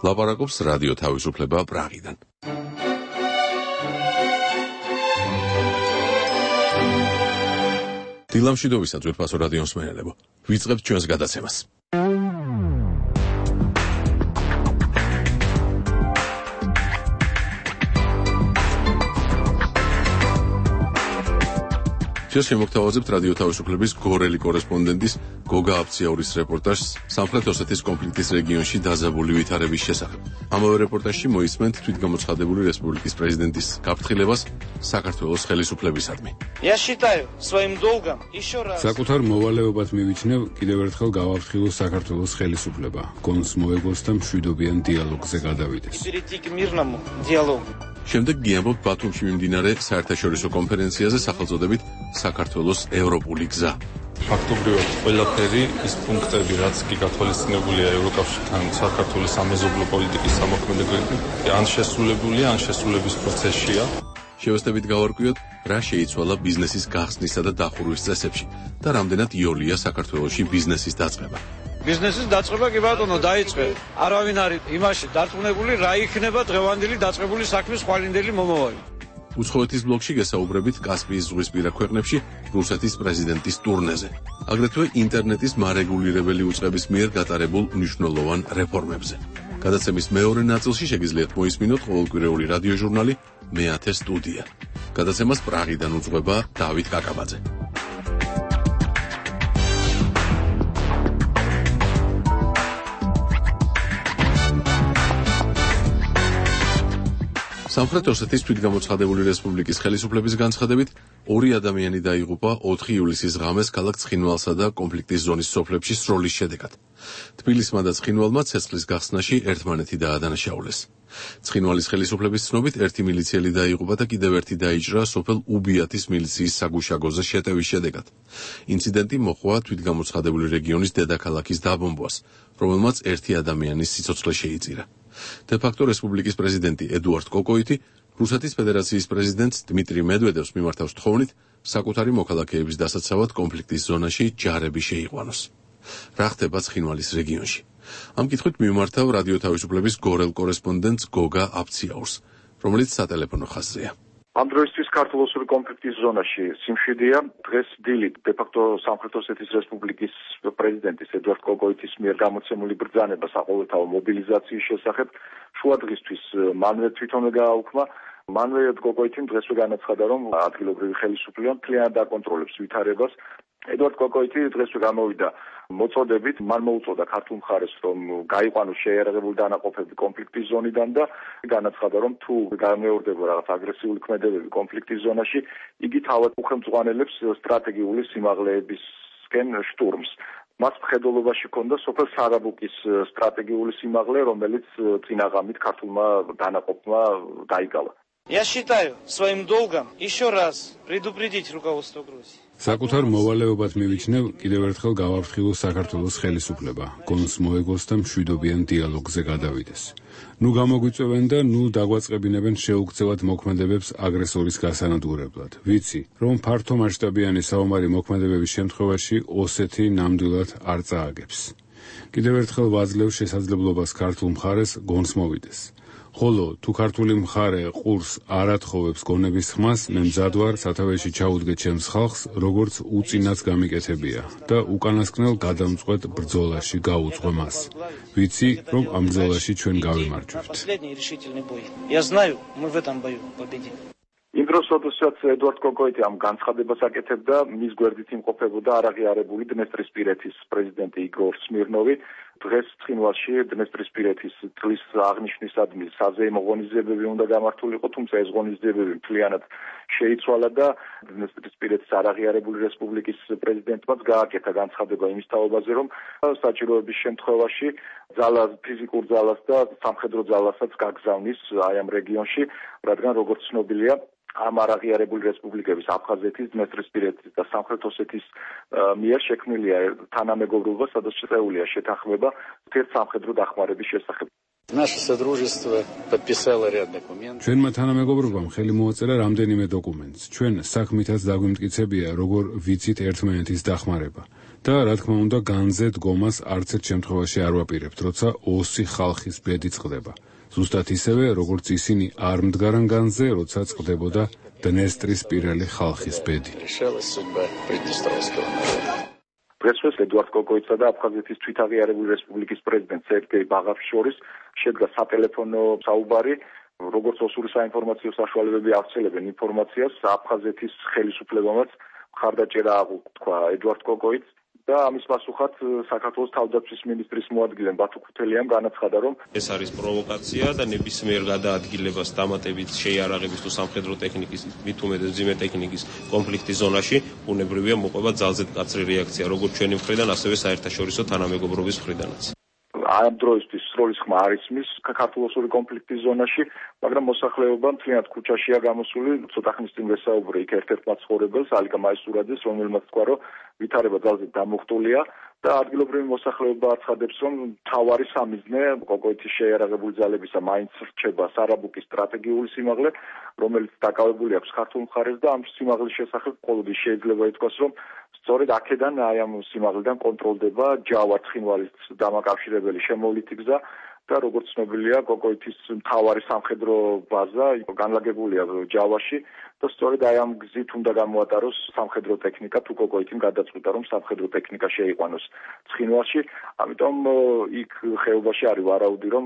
ლაპარაკობს რადიო თავისუფლება პრაღიდან. დილამშვიდობისა ძვირფასო რადიოს მსმენელებო. ვიწყებთ ჩვენს გადაცემას. Сейчас შემოგთავაზებთ რადიო თავისუფლების გორელი კორესპონდენტის გოგა აფციაურის რეპორტაჟს სამხრეთ ოსეთის კონფლიქტის რეგიონში დაზაბული ვითარების შესახებ. ამავე რეპორტაჟში მოისმენთ თვითგამოცხადებული რესპუბლიკის პრეზიდენტის გაფრთხილებას საქართველოს ხელისუფლებისადმი. საკუთარ მოვალეობად მივიჩნევ კიდევ ერთხელ გავაფრთხილოს საქართველოს ხელისუფლება, გონს მოეგოს და მშვიდობიან დიალოგზე გადავიდეს. შემდეგ გიამბობთ ბათუმში მიმდინარე საერთაშორისო კონფერენციაზე სახელწოდებით საქართველოს ევროპული გზა. ფაქტობრივად ყველაფერი ის პუნქტები, რაც კი გათვალისწინებულია ევროკავშირთან საქართველოს სამეზობლო პოლიტიკის სამოქმედებები, ან შესრულებულია, ან შესრულების პროცესშია. შევესწრებით გავარკვიოთ, რა შეიცვალა ბიზნესის გახსნისა და დახურვის წესებში და რამდენად იოლია საქართველოში ბიზნესის დაწყება. ბიზნესის დაწყება კი ბატონო დაიწყე. არავინ არის იმაში დარწმუნებული, რა იქნება დღევანდელი დაწყებული საქმის ხვალინდელი მომავალი. უცხოეთის ბლოკში გესაუბრებით კასპიის ზღვისპირა ქვეყნებში რუსეთის პრეზიდენტის ტურნეზე. აგრეთვე ინტერნეტის მარეგულირებელი უწყების მიერ გატარებულ მნიშვნელოვან რეფორმებზე. გადაცემის მეორე ნაწილში შეგიძლიათ მოისმინოთ ყოველკვირეული რადიოჟურნალი მეათე სტუდია. გადაცემას პრაღიდან უძღვება დავით კაკაბაძე. სამხრეთ ოსეთის თვითგამოცხადებული რესპუბლიკის ხელისუფლების განცხადებით, 2 ადამიანი დაიღუპა 4 ივლისის ღამეს ქალაქ ცხინვალსა და კონფლიქტის ზონის სოფლებში სროლის შედეგად. თბილისმა და ცხინვალმა ცეცხლის გახსნაში ერთმანეთი დაადანაშაულეს. ცხინვალის ხელისუფლების ცნობით, 1 მილიციელი დაიღუპა და კიდევ 1 დაიჭრა სოფელ უბიათის მილიციის საგუშაგოზე შეტევის შედეგად. ინციდენტი მოჰყვა თვითგამოცხადებული რეგიონის დედაქალაქის დაბომბვას, რომელმაც 1 ადამიანის სიცოცხლე შეიწირა. დე-ფაქტო რესპუბლიკის პრეზიდენტი ედუარდ კოკოიტი რუსეთის ფედერაციის პრეზიდენტს დმიტრი მედვედევს მიმართავს თხოვნით საკუთარი მოქალაქეების დასაცავად კონფლიქტის ზონაში ჯარები შეიყვანოს. რა ხდება ცხინვალის რეგიონში? ამ კითხვით მიმართავ რადიო თავისუფლების გორელ კორესპონდენტს გოგა აფციაურს, რომელიც სატელეფონო ხაზზეა. ამ დროისთვის ქართულ-ოსური კონფლიქტის ზონაში სიმშვიდეა. დღეს დილით დე-ფაქტო სამხრეთ ოსეთის რესპუბლიკის პრეზიდენტის ედუარდ კოკოიტის მიერ გამოცემული ბრძანება საყოველთაო მობილიზაციის შესახებ შუადღისთვის მანვე თვითონვე გააუქმა. მანვე კოკოიტიმ დღესვე განაცხადა, რომ ადგილობრივი ხელისუფლება მთლიანად აკონტროლებს ვითარებას. ედუარდ კოკოიტი დღესვე გამოვიდა მოწოდებით, მან მოუწოდა ქართულ მხარეს, რომ გაიყვანოს შეიარაღებული დანაყოფები კონფლიქტის ზონიდან და განაცხადა, რომ თუ გამეორდება რაღაც აგრესიული ქმედებები კონფლიქტის ზონაში, იგი თავად უხელმძღვანელებს სტრატეგიული სიმაღლეებისკენ შტურმს. მას მხედველობაში ჰქონდა სოფელ სარაბუკის სტრატეგიული სიმაღლე, რომელიც წინა ღამით ქართულმა დანაყოფმა დაიკავა. Я считаю своим долгом еще раз предупредить руководство Грузии. საკუთარ მოვალეობად მივიჩნევ კიდევ ერთხელ გავაფრთხილოს საქართველოს ხელისუფლება, გონს მოეგოს და მშვიდობიან დიალოგზე გადავიდეს. ნუ გამოგვიწევენ და ნუ დაგვაწყებინებენ შეუქცევად მოქმედებებს აგრესორის გასანადგურებლად. ვიცი, რომ ფართო მასშტაბიანი საომარი მოქმედებების შემთხვევაში ოსეთი ნამდვილად არ წააგებს. კიდევ ერთხელ ვაძლევ შესაძლებლობას ქართულ მხარეს გონს მოვიდეს. ხოლო თუ ქართული მხარე ყურს არ ათხოვებს გონების ხმას, მე მზად ვარ სათავეში ჩაუდგე ჩემს ხალხს, როგორც უწინაც გამიკეთებია და უკანასკნელ გადამწყვეტ ბრძოლაში გაუძღვე მას. ვიცი, რომ ამ ბრძოლაში ჩვენ გავიმარჯვებთ. იმ დროს, როდესაც ედუარდ კოკოიტი ამ განცხადებას აკეთებდა, მის გვერდით იმყოფებოდა არაღიარებული დნესტრისპირეთის პრეზიდენტი იგორ სმირნოვი. დღეს ცხინვალში დნესტრისპირეთის წლის აღნიშვნისადმი საზეიმო ღონისძიებები უნდა გამართულიყო, თუმცა ეს ღონისძიებები მთლიანად შეიცვალა და დნესტრისპირეთის არაღიარებული რესპუბლიკის პრეზიდენტმაც გააკეთა განცხადება იმის თაობაზე, რომ საჭიროების შემთხვევაში ფიზიკურ ძალას და სამხედრო ძალასაც გაგზავნის აი ამ რეგიონში, რადგან როგორც ცნობილია, ამ არაღიარებული რესპუბლიკების აფხაზეთის, დნესტრისპირეთის და სამხრეთ ოსეთის მიერ შექმნილია თანამეგობრობა, სადაც შეწეულია შეთანხმება ერთ სამხედრო დახმარების შესახებ. Наше содружество подписало ряд документов. ჩვენმა თანამეგობრობამ ხელი მოაწერა რამდენიმე დოკუმენტს. ჩვენ საქმითაც დაგვიმტკიცებია, როგორ ვიცით ერთმანეთის დახმარება. და რა თქმა უნდა, განზე დგომას არც ერთ შემთხვევაში არ ვაპირებთ, როცა ოსი ხალხის ბედი წყდება. ზუსტად ისევე, როგორც ისინი არ მდგარან განზე, როცა წყდებოდა დნესტრის პირელი ხალხის ბედი. დღესვე ედუარდ კოკოიცა და აფხაზეთის თვითაღიარებული რესპუბლიკის პრეზიდენტ სერგეი ბაღავის შორის შედგა სატელეფონო საუბარი, როგორც ოსური საინფორმაციო საშუალებები აღწელებენ ინფორმაციას აფხაზეთის ხელისუფლებამაც მხარდაჭერა აღუთქვა ედუარდ კოკოიც და ამის პასუხად საქართველოს თავდაცვის მინისტრის მოადგილემ ბათუ ქუთელიამ განაცხადა, რომ ეს არის პროვოკაცია და ნებისმიერ გადაადგილებას დამატებით შეიარაღების თუ სამხედრო ტექნიკის, მით უმეტეს მძიმე ტექნიკის კონფლიქტის ზონაში ბუნებრივია მოყვება ძალზედ მკაცრი რეაქცია, როგორც ჩვენი მხრიდან, ასევე საერთაშორისო თანამეგობრობის მხრიდანაც. ამ დროისთვის სროლის ხმა არ ისმის საქართველოსური კონფლიქტის ზონაში, მაგრამ მოსახლეობა მთლიანად ქუჩაშია გამოსული. ცოტა ხნის წინ ვესაუბრე იქ ერთ-ერთ მაცხოვრებელს, ალიკა მაისურაძეს, რომელმაც თქვა, რომ ვითარება ძალზედ დამუხტულია და ადგილობრივი მოსახლეობა აცხადებს, რომ მთავარი სამიზნე კოკოიცის შეიარაღებული ძალებისა მაინც რჩება სარაბუკის სტრატეგიული სიმაღლე, რომელიც დაკავებული აქვს ქართულ მხარეს და ამ სიმაღლის შესახებ მხოლოდ შეიძლება ითქვას, რომ სწორედ აქედან აი ამ სიმაღლიდან კონტროლდება ჯავა-ცხინვალის დამაკავშირებელი შემოვლითი გზა და როგორც ცნობილია, კოკოიცის მთავარი სამხედრო ბაზა განლაგებულია ჯავაში და სწორედ აი ამ გზით უნდა გამოატაროს სამხედრო ტექნიკა, თუ კოკოიციმ გადაწყვიტა, რომ სამხედრო ტექნიკა შეიყვანოს ცხინვალში, ამიტომ იქ ხეობაში არის ვარაუდი, რომ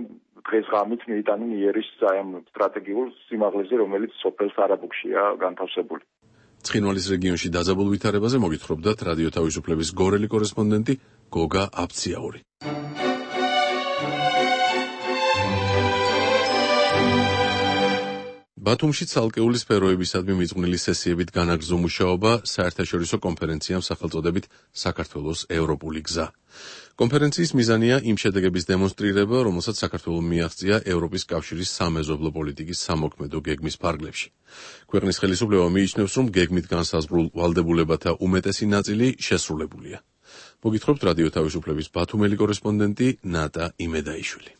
დღეს ღამით მიიტანენ იერის აი ამ სტრატეგიულ სიმაღლეზე, რომელიც სოფელ სარაბუქშია განთავსებული. ცხინვალის რეგიონში დაძაბულ ვითარებაზე მოგითხრობდათ რადიო თავისუფლების გორელი კორესპონდენტი გოგა აფციაური. ბათუმში ცალკეული სფეროებისადმი მიძღვნილი სესიებით განაგრძო მუშაობა საერთაშორისო კონფერენციამ სახელწოდებით საქართველოს ევროპული გზა. კონფერენციის მიზანია იმ შედეგების დემონსტრირება, რომელსაც საქართველომ მიაღწია ევროპის კავშირის სამეზობლო პოლიტიკის სამოქმედო გეგმის ფარგლებში. ქვეყნის ხელისუფლება მიიჩნევს, რომ გეგმით განსაზღვრულ ვალდებულებათა უმეტესი ნაწილი შესრულებულია. მოგითხრობთ რადიო თავისუფლების ბათუმელი კორესპონდენტი ნატა იმედაიშვილი.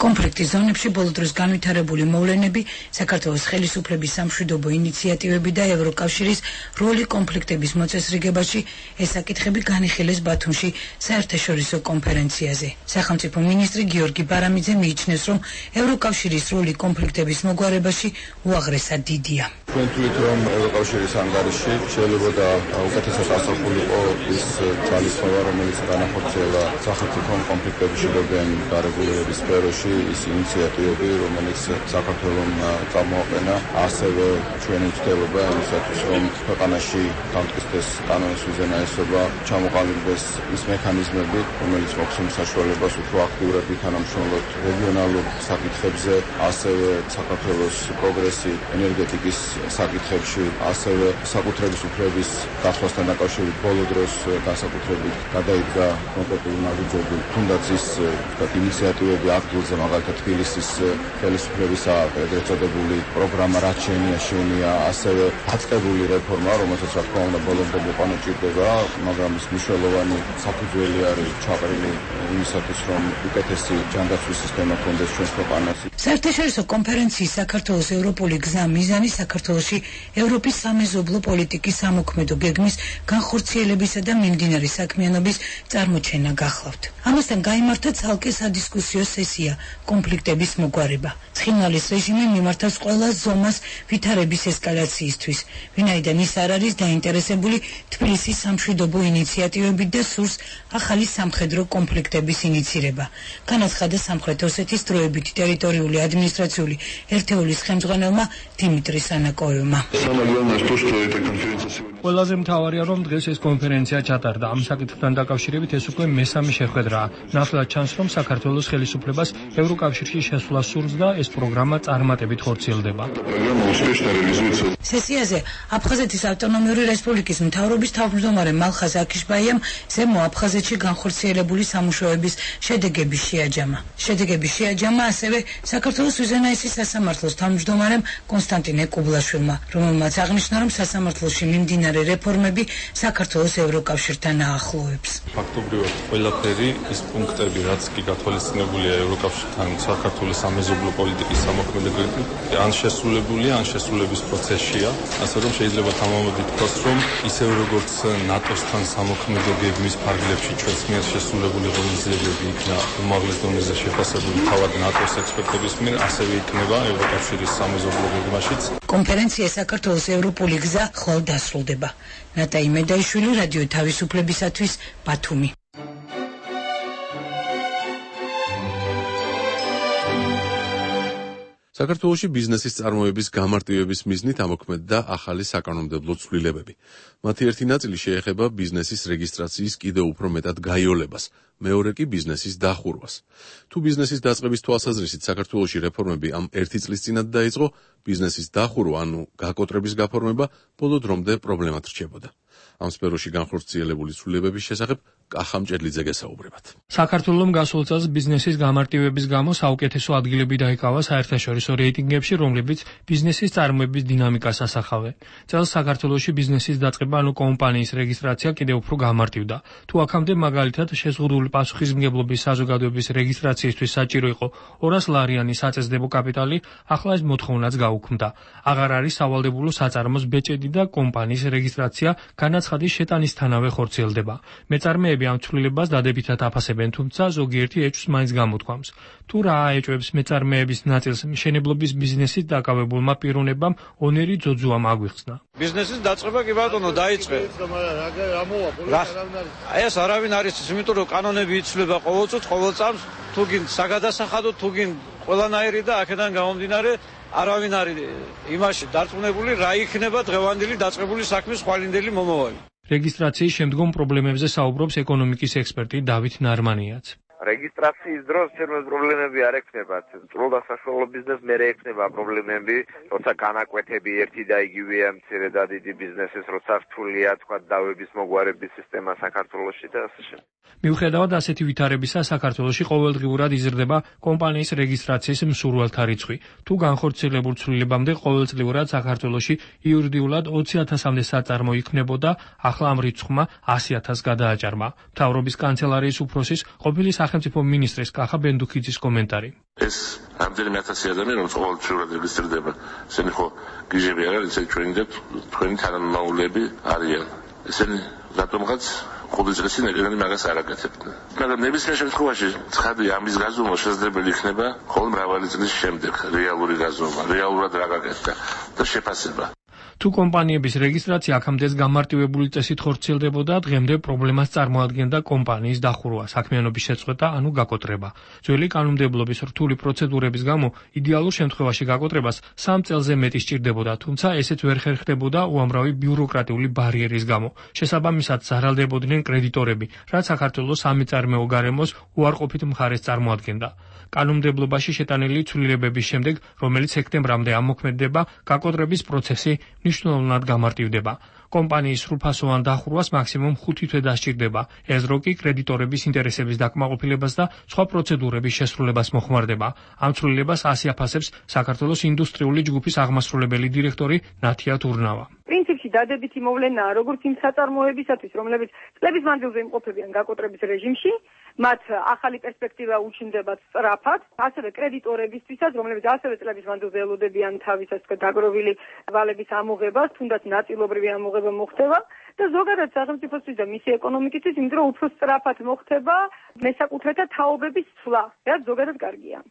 კონფლიქტის ზონებში ბოლო დროს განვითარებული მოვლენები, საქართველოს ხელისუფლების სამშვიდობო ინიციატივები და ევროკავშირის როლი კონფლიქტების მოწესრიგებაში ეს საკითხები განიხილეს ბათუმში საერთაშორისო კონფერენციაზე. სახელმწიფო მინისტრი გიორგი ბარამიძე მიიჩნევს, რომ ევროკავშირის როლი კონფლიქტების მოგვარებაში უაღრესად დიდია. თქვით, რომ ევროკავშირის ანგარიში შეიძლება უკეთესად ასახულიყო ის ძალისხმევა, რომელიც განახორციელა სახელმწიფო კონფლიქტების შეგროვებიან დარეგულირების სფეროში, ის ინიციატივები, რომელიც საქართველომ წამოაყენა, ასევე ჩვენი ცდილობა იმისათვის, რომ ქვეყანაში დამტკიცდეს კანონის უზენაესობა, ჩამოყალიბდეს ის მექანიზმები, რომელიც მოგვცემს საშუალებას უფრო აქტიურად ვითანამშრომლოთ რეგიონალურ საკითხებზე, ასევე საქართველოს პროგრესი ენერგეტიკის საკითხებში, ასევე საკუთრების უფლების გასვლასთან დაკავშირებით ბოლო დროს განსაკუთრებით გადაიდგა კონკრეტული ნაბიჯები, თუნდაც ის ინიციატივები ადგილზე, მაგალითად თბილისის ხელისუფლების ეგრეთ წოდებული პროგრამა რაც შეენია, ასევე დაწყებული რეფორმა, რომელსაც რა თქმა უნდა ბოლომდე მოყვანა ჭირდება, მაგრამ ის მნიშვნელოვანი საფუძველი არის ჩაყრილი იმისათვის, რომ უკეთესი ჯანდაცვის სისტემა ქონდეს ჩვენს ქვეყანაში. საერთაშორისო კონფერენციის საქართველოს ევროპული გზა მიზანი საქართველოში ევროპის სამეზობლო პოლიტიკის სამოქმედო გეგმის განხორციელებისა და მიმდინარე საქმიანობის წარმოჩენა გახლავთ. ამასთან გაიმართა ცალკე სადისკუსიო სესია კონფლიქტების მოგვარება. ცხინვალის რეჟიმი მიმართავს ყველა ზომას ვითარების ესკალაციისთვის, ვინაიდან ის არ არის დაინტერესებული თბილისის სამშვიდობო ინიციატივებით და სურს ახალი სამხედრო კონფლიქტების ინიცირება. განაცხადა სამხრეთ ოსეთის დროებითი ტერიტორიული ადმინისტრაციული ერთეულის ხელმძღვანელმა დიმიტრი სანაკოევმა. ყველაზე მთავარია, რომ დღეს ეს კონფერენცია ჩატარდა. ამ საკითხთან დაკავშირებით ეს უკვე მესამე შეხვედრაა. ნახლა ჩანს, რომ საქართველოს ხელისუფლებას ევროკავშირში შესვლა სურს და ეს პროგრამა წარმატებით ხორციელდება. სესიაზე აფხაზეთის ავტონომიური რესპუბლიკის მთავრობის თავმჯდომარე მალხაზ აქიშბაიამ ზემო აფხაზეთში განხორციელებული სამუშაოების შედეგები შეაჯამა ასევე საქართველოს უზენაესი სასამართლოს თავმჯდომარემ კონსტანტინე კუბლაშვილმა, რომელმაც აღნიშნა, რომ სასამართლოში მიმდინარე რეფორმები საქართველოს ევროკავშირთან აახლოებს. ფაქტობრივად ყველაფერი ის პუნქტები, რაც კი გათვალისწინებულია ევროკავშირთან საქართველოს სამეზობლო პოლიტიკის სამოქმედო გეგმით, ან შესრულებულია, ან შესრულების პროცესშია, ასე რომ შეიძლება თამამად ითქვას, რომ ისევ როგორც ნატოსთან სამოქმედო გეგმის ფარგლებში ჩვენს მიერ შესრულებული ღონისძიებები იქნა უმაღლეს დონეზე შეფასებული თავად ნატოს ექსპერტების მიერ, ასევე იქნება ევროკავშირის სამეზობლო გეგმაშიც. კონფერენცია საქართველოს ევროპული გზა ხვალ დასრულდება. ნატაი მედაიშვილი, რადიო თავისუფლებისათვის, ბათუმი. საქართველოში ბიზნესის წარმოების გამარტივების მიზნით ამოქმედდა ახალი საკანონმდებლო ცვლილებები. მათი ერთი ნაწილი შეეხება ბიზნესის რეგისტრაციის კიდევ უფრო მეტად გაიოლებას, მეორე კი ბიზნესის დახურვას. თუ ბიზნესის დაწყების თვალსაზრისით საქართველოში რეფორმები ამ ერთი წლის წინათ დაიწყო, ბიზნესის დახურვა, ანუ გაკოტრების გაფორმება, ბოლო დრომდე პრობლემად რჩებოდა. ამ სფეროში განხორციელებული ცვლილებების შესახებ კახა მჭედლიძე გესაუბრებათ. საქართველოს გასულ წელს ბიზნესის გამარტივების გამო საუკეთესო ადგილები დაიკავა საერთაშორისო რეიტინგებში, რომლებიც ბიზნესის წარმოების დინამიკას ასახავენ. წელს საქართველოში ბიზნესის დაწყება, ანუ კომპანიის რეგისტრაცია კიდევ უფრო გამარტივდა. თუ აქამდე მაგალითად შეზღუდული პასუხისმგებლობის საზოგადოების რეგისტრაციისთვის საჭირო იყო 200 ლარიანი საწესდებო კაპიტალი, ახლა ეს მოთხოვნაც გაუქმდა. აღარ არის სავალდებულო საწარმოს ბეჭედი და კომპანიის რეგისტრაცია განაცხადის შეტანისთანავე ხორციელდება. მეწარმეები ამ ცვლილებას დადებითად აფასებენ, თუმცა ზოგიერთი ეჭვს მაინც გამოთქვამს. თუ რა აეჭვებს მეწარმეების ნაწილს მშენებლობის ბიზნესით დაკავებულმა პიროვნებამ ონერი ძოძუამ აგვიხსნა. ბიზნესის დაწყება კი ბატონო დაიწყე. ეს არავინ არის ის, იმიტომ რომ კანონები იცვლება ყოველ წუთს, ყოველ წამს, თუ გინ საგადასახადო, თუ გინ ყველანაირი და აქედან გამომდინარე არავინ არის იმაში დარწმუნებული, რა იქნება დღევანდელი დაწყებული საქმის ხვალინდელი მომავალი. რეგისტრაციის შემდგომ პრობლემებზე საუბრობს ეკონომიკის ექსპერტი დავით ნარმანიაც. რეგისტრაციის დროს თერმოს პრობლემები არ ექნება. წრულ და საშუალო ბიზნესს მერე ექნება პრობლემები, როცა განაკვეთები ერთი და იგივეა მცირე და დიდი ბიზნესის, როცა რთულია თქვა დავების მოგვარების სისტემა საქართველოში და ასე შემდეგ. მიუხედავად ასეთი ვითარებისა, საქართველოში ყოველდღიურად იზრდება კომპანიის რეგისტრაციის მსურველთა რიცხვი. თუ განხორციელებულ ცვლილებამდე ყოველწლიურად საქართველოში იურიდიულად 20,000-მდე საწარმო იქნებოდა, ახლა ამ რიცხვმა 100,000-ს გადააჭარბა. მთავრობის კანცელარიის უფროსის ყოფილი სახელმწიფო მინისტრის კახა ბენდუქიძის კომენტარი. ეს რამდენიმე ათასი ადამიანი, რომელიც ყოველწლიურად რეგისტრირდება, ესენი ხო გიჟები არ არის, თქვენი თანამემამულეები არიან. ესენი რატომღაც ხუთი წელი წინ ეგრენი მაგას არ აკეთებდნენ. მაგრამ ნებისმიერ შემთხვევაში ცხადია, ამის გაზომვა შესაძლებელი იქნება მხოლოდ მრავალი წლის შემდეგ, რეალური გაზომვა, რეალურად რა გაკეთდა და შეფასება. თუ კომპანიების რეგისტრაცია აქამდეც გამარტივებული წესით ხორციელდებოდა, დღემდე პრობლემას წარმოადგენდა კომპანიის დახურვა, საქმიანობის შეწყვეტა, ანუ გაკოტრება. ძველი კანონმდებლობის რთული პროცედურების გამო იდეალურ შემთხვევაში გაკოტრებას 3 წელზე მეტი სჭირდებოდა, თუმცა ესეც ვერ ხერხდებოდა უამრავი ბიუროკრატიული ბარიერის გამო. შესაბამისად ზარალდებოდნენ კრედიტორები, რაც საქართველოს სამეწარმეო გარემოს უარყოფით მხარეს წარმოადგენდა. კანონმდებლობაში შეტანილი ცვლილებების შემდეგ, რომელიც სექტემბრამდე ამოქმედდება, გაკოტრების პროცესი მნიშვნელოვნად გამარტივდება. კომპანიის სრულფასოვან დახურვას მაქსიმუმ 5 თვე დასჭირდება. ეს დრო კი კრედიტორების ინტერესების დაკმაყოფილებას და სხვა პროცედურების შესრულებას მოხმარდება. ამ ცვლილებას 100 აფასებს საქართველოს ინდუსტრიული ჯგუფის აღმასრულებელი დირექტორი ნათია თურნავა. პრინციპში დადებითი მოვლენაა როგორც იმ საწარმოებისათვის, რომლებიც წლების მანძილზე იმყოფებიან გაკოტრების რეჟიმში, მათ ახალი პერსპექტივა უჩნდებათ სწრაფად, ასევე კრედიტორებისთვისაც, რომლებიც ასევე წლების მანძილზე ელოდებიან თავის დაგროვილი ვალების ამოღებას, თუნდაც ნაწილობრივი ამოღება მოხდება და ზოგადად სახელმწიფოსთვის და მისი ეკონომიკისთვის, იმიტომ რომ უფრო სწრაფად მოხდება მესაკუთრეთა თაობების ცვლა, რაც ზოგადად კარგია.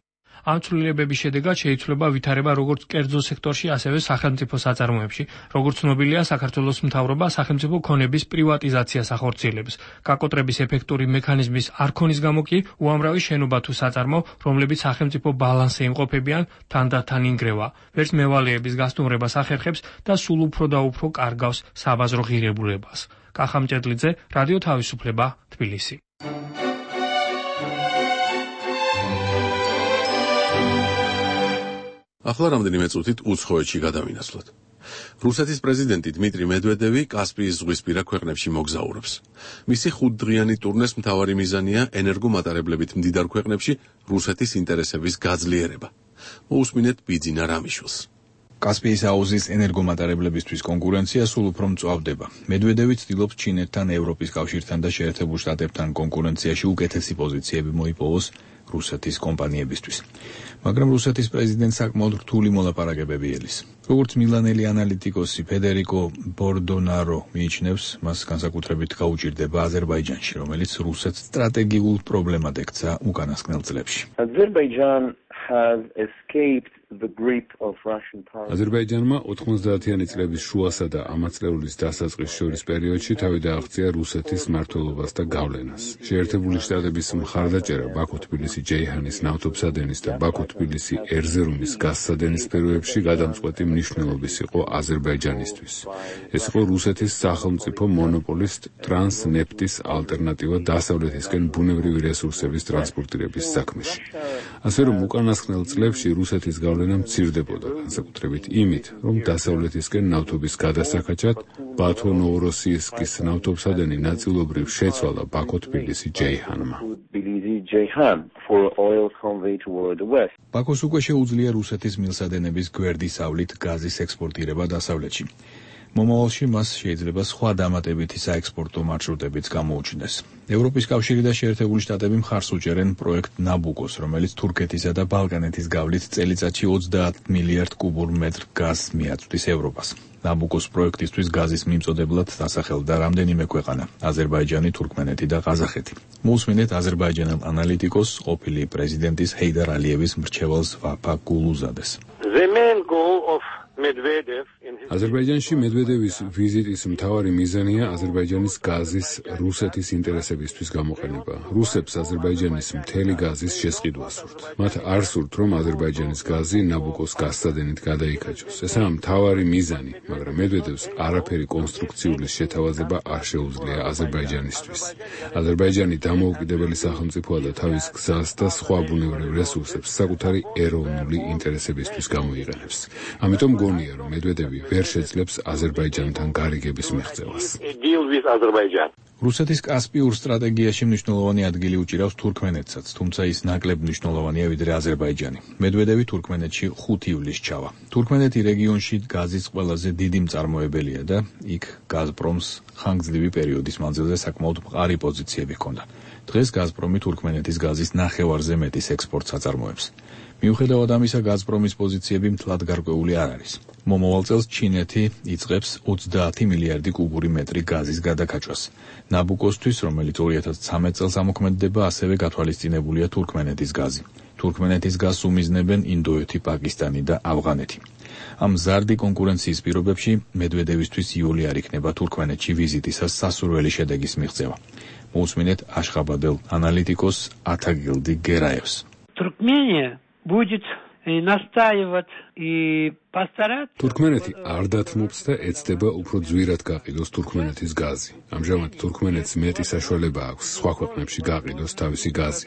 ამ ცვლილებების შედეგად შეიცვლება ვითარება როგორც კერძო სექტორში, ასევე სახელმწიფო საწარმოებში. როგორც ცნობილია, საქართველოს მთავრობა სახელმწიფო ქონების პრივატიზაციას ახორციელებს. გაკოტრების ეფექტური მექანიზმის არ ქონის გამო კი უამრავი შენობა თუ საწარმო, რომლებიც სახელმწიფო ბალანსზე იმყოფებიან, თანდათან ინგრევა. ვერც მევალეების გასტუმრებას ახერხებს და სულ უფრო და უფრო კარგავს საბაზრო ღირებულებას. კახა მჭედლიძე, რადიო თავისუფლება, თბილისი. ახლა რამდენიმე წუთით უცხოეთში გადავინაცვლოთ. რუსეთის პრეზიდენტი დმიტრი მედვედევი კასპიის ზღვისპირა ქვეყნებში მოგზაურობს. მისი 5-დღიანი ტურნეს მთავარი მიზანია ენერგომატარებლებით მდიდარ ქვეყნებში რუსეთის ინტერესების გაძლიერება. მოусმინეთ ბიძინა რამიშვილს. კასპიის აუზის ენერგომატარებლებისთვის კონკურენცია სულ უფრო მწვავდება. მედვედევი ცდილობს ჩინეთთან, ევროპის კავშირთან და შეერთებულ შტატებთან კონკურენციაში უკეთესი პოზიციები მოიპოვოს რუსეთის კომპანიებისთვის. მაგრამ რუსეთის პრეზიდენტს საკმაოდ რთული მოლაპარაკებები ელის. როგორც მილანელი ანალიტიკოსი ფედერიკო ბორდონარო მიიჩნევს, მას განსაკუთრებით გაუჭირდება აზერბაიჯანში, რომელიც რუსეთს სტრატეგიულ პრობლემად ექცა უკანასკნელ წლებში. აზერბაიჯანმა 90-იანი წლების შუასა და ამაწლეულის დასაწყის შორის პერიოდში თავი დააღწია რუსეთის მმართველობას და გავლენას. შეერთებული შტატების მხარდაჭერა ბაქო-თბილისი-ჯეიჰანის ნავთობსადენის და ბაქო-თბილისი ერზერუმის გაზსადენის სფეროებში გადამწყვეტი მნიშვნელობის იყო აზერბაიჯანისთვის. ეს იყო რუსეთის სახელმწიფო მონოპოლისტ ტრანსნეფტის ალტერნატივა დასავლეთისკენ ბუნებრივი რესურსების ტრანსპორტირების საქმეში. ასე რომ უკანასკნელ წლებში რუსეთის გავლენა მცირდებოდა, განსაკუთრებით იმით, რომ დასავლეთისკენ ნავთობის გადასახაჩად ბათო-ნოვოროსიისკის ნავთობსადენი ნაწილობრივ შეცვალა ბაქო-თბილისი-ჯეიჰანმა. ბაქოს უკვე შეუძლია რუსეთის მილსადენების გვერდის ავლით გაზის ექსპორტირება დასავლეთში. მომავალში მას შეიძლება სხვა დამატებითი საექსპორტო მარშრუტებიც გამოუჩნდეს. ევროპის კავშირი და შეერთებული შტატები მხარს უჭერენ პროექტ ნაბუკოს, რომელიც თურქეთისა და ბალკანეთის გავლით წელიწადში 30 მილიარდ კუბურ მეტრ გაზს მიაწვდის ევროპას. ნაბუკოს პროექტისთვის გაზის მიმწოდებლად დასახელდა რამდენიმე ქვეყანა: აზერბაიჯანი, თურქმენეთი და ყაზახეთი. მოусმინეთ აზერბაიჯანელ ანალიტიკოს, ყოფილი პრეზიდენტის ჰეიდარ ალიევის მრჩეველს ვაფა გულუზადეს. აზერბაიჯანში მედვედევის ვიზიტის მთავარი მიზანია აზერბაიჯანის გაზის რუსეთის ინტერესებისთვის გამოყენება. რუსებს აზერბაიჯანის მთელი გაზის შესყიდვა სურთ. მათ არ სურთ, რომ აზერბაიჯანის გაზი ნაბუკოს გაზსადენით გადაიქაჩოს. ესაა მთავარი მიზანი, მაგრამ მედვედევს არაფერი კონსტრუქციული შეთავაზება არ შეუძლია აზერბაიჯანისთვის. აზერბაიჯანი დამოუკიდებელი სახელმწიფოა და თავის გზას და სხვა ბუნებრივ რესურსებს საკუთარი ეროვნული ინტერესებისთვის გამოიყენებს. ამიტომ გონია, რომ მედვედევი ვერ შეძლებს აზერბაიჯანთან გარიგების მიღწევას. რუსეთის კასპიურ სტრატეგიაში მნიშვნელოვანი ადგილი უჭირავს თურქმენეთსაც, თუმცა ის ნაკლებ მნიშვნელოვანია ვიდრე აზერბაიჯანი. მედვედევი თურქმენეთში 5 ივლისს ჩავა. თურქმენეთი რეგიონში გაზის ყველაზე დიდი მწარმოებელია და იქ გაზპრომს ხანგრძლივი პერიოდის მანძილზე საკმაოდ მყარი პოზიციები ჰქონდა. დღეს გაზპრომი თურქმენეთის გაზის ნახევარზე მეტის ექსპორტს აწარმოებს. მიუხედავად ამისა, გაზპრომის პოზიციები მთლად გარკვეული არ არის. მომავალ წელს ჩინეთი იწყებს 30 მილიარდი კუბური მეტრი გაზის გადაკაჭვას. ნაბუკოსთვის, რომელიც 2013 წელს ამოქმედდება, ასევე გათვალისწინებულია თურქმენეთის გაზი. თურქმენეთის გაზს უმიზნებენ ინდოეთი, პაკისტანი და ავღანეთი. ამ მზარდი კონკურენციის პირობებში მედვედევისთვის იოლი არ იქნება თურქმენეთში ვიზიტისას სასურველი შედეგის მიღწევა. მოусმინეთ აშხაბადელ ანალიტიკოს ათაგილდი გერაევს. Туркмения будет настаивать и постараться. თურქმენეთი არ დათმობს და ეცდება უფრო ძვირად გაყიდოს თურქმენეთის გაზი. ამჟამად თურქმენეთს მეტი საშუალება აქვს სხვა ქვეყნებში გაყიდოს თავისი გაზი,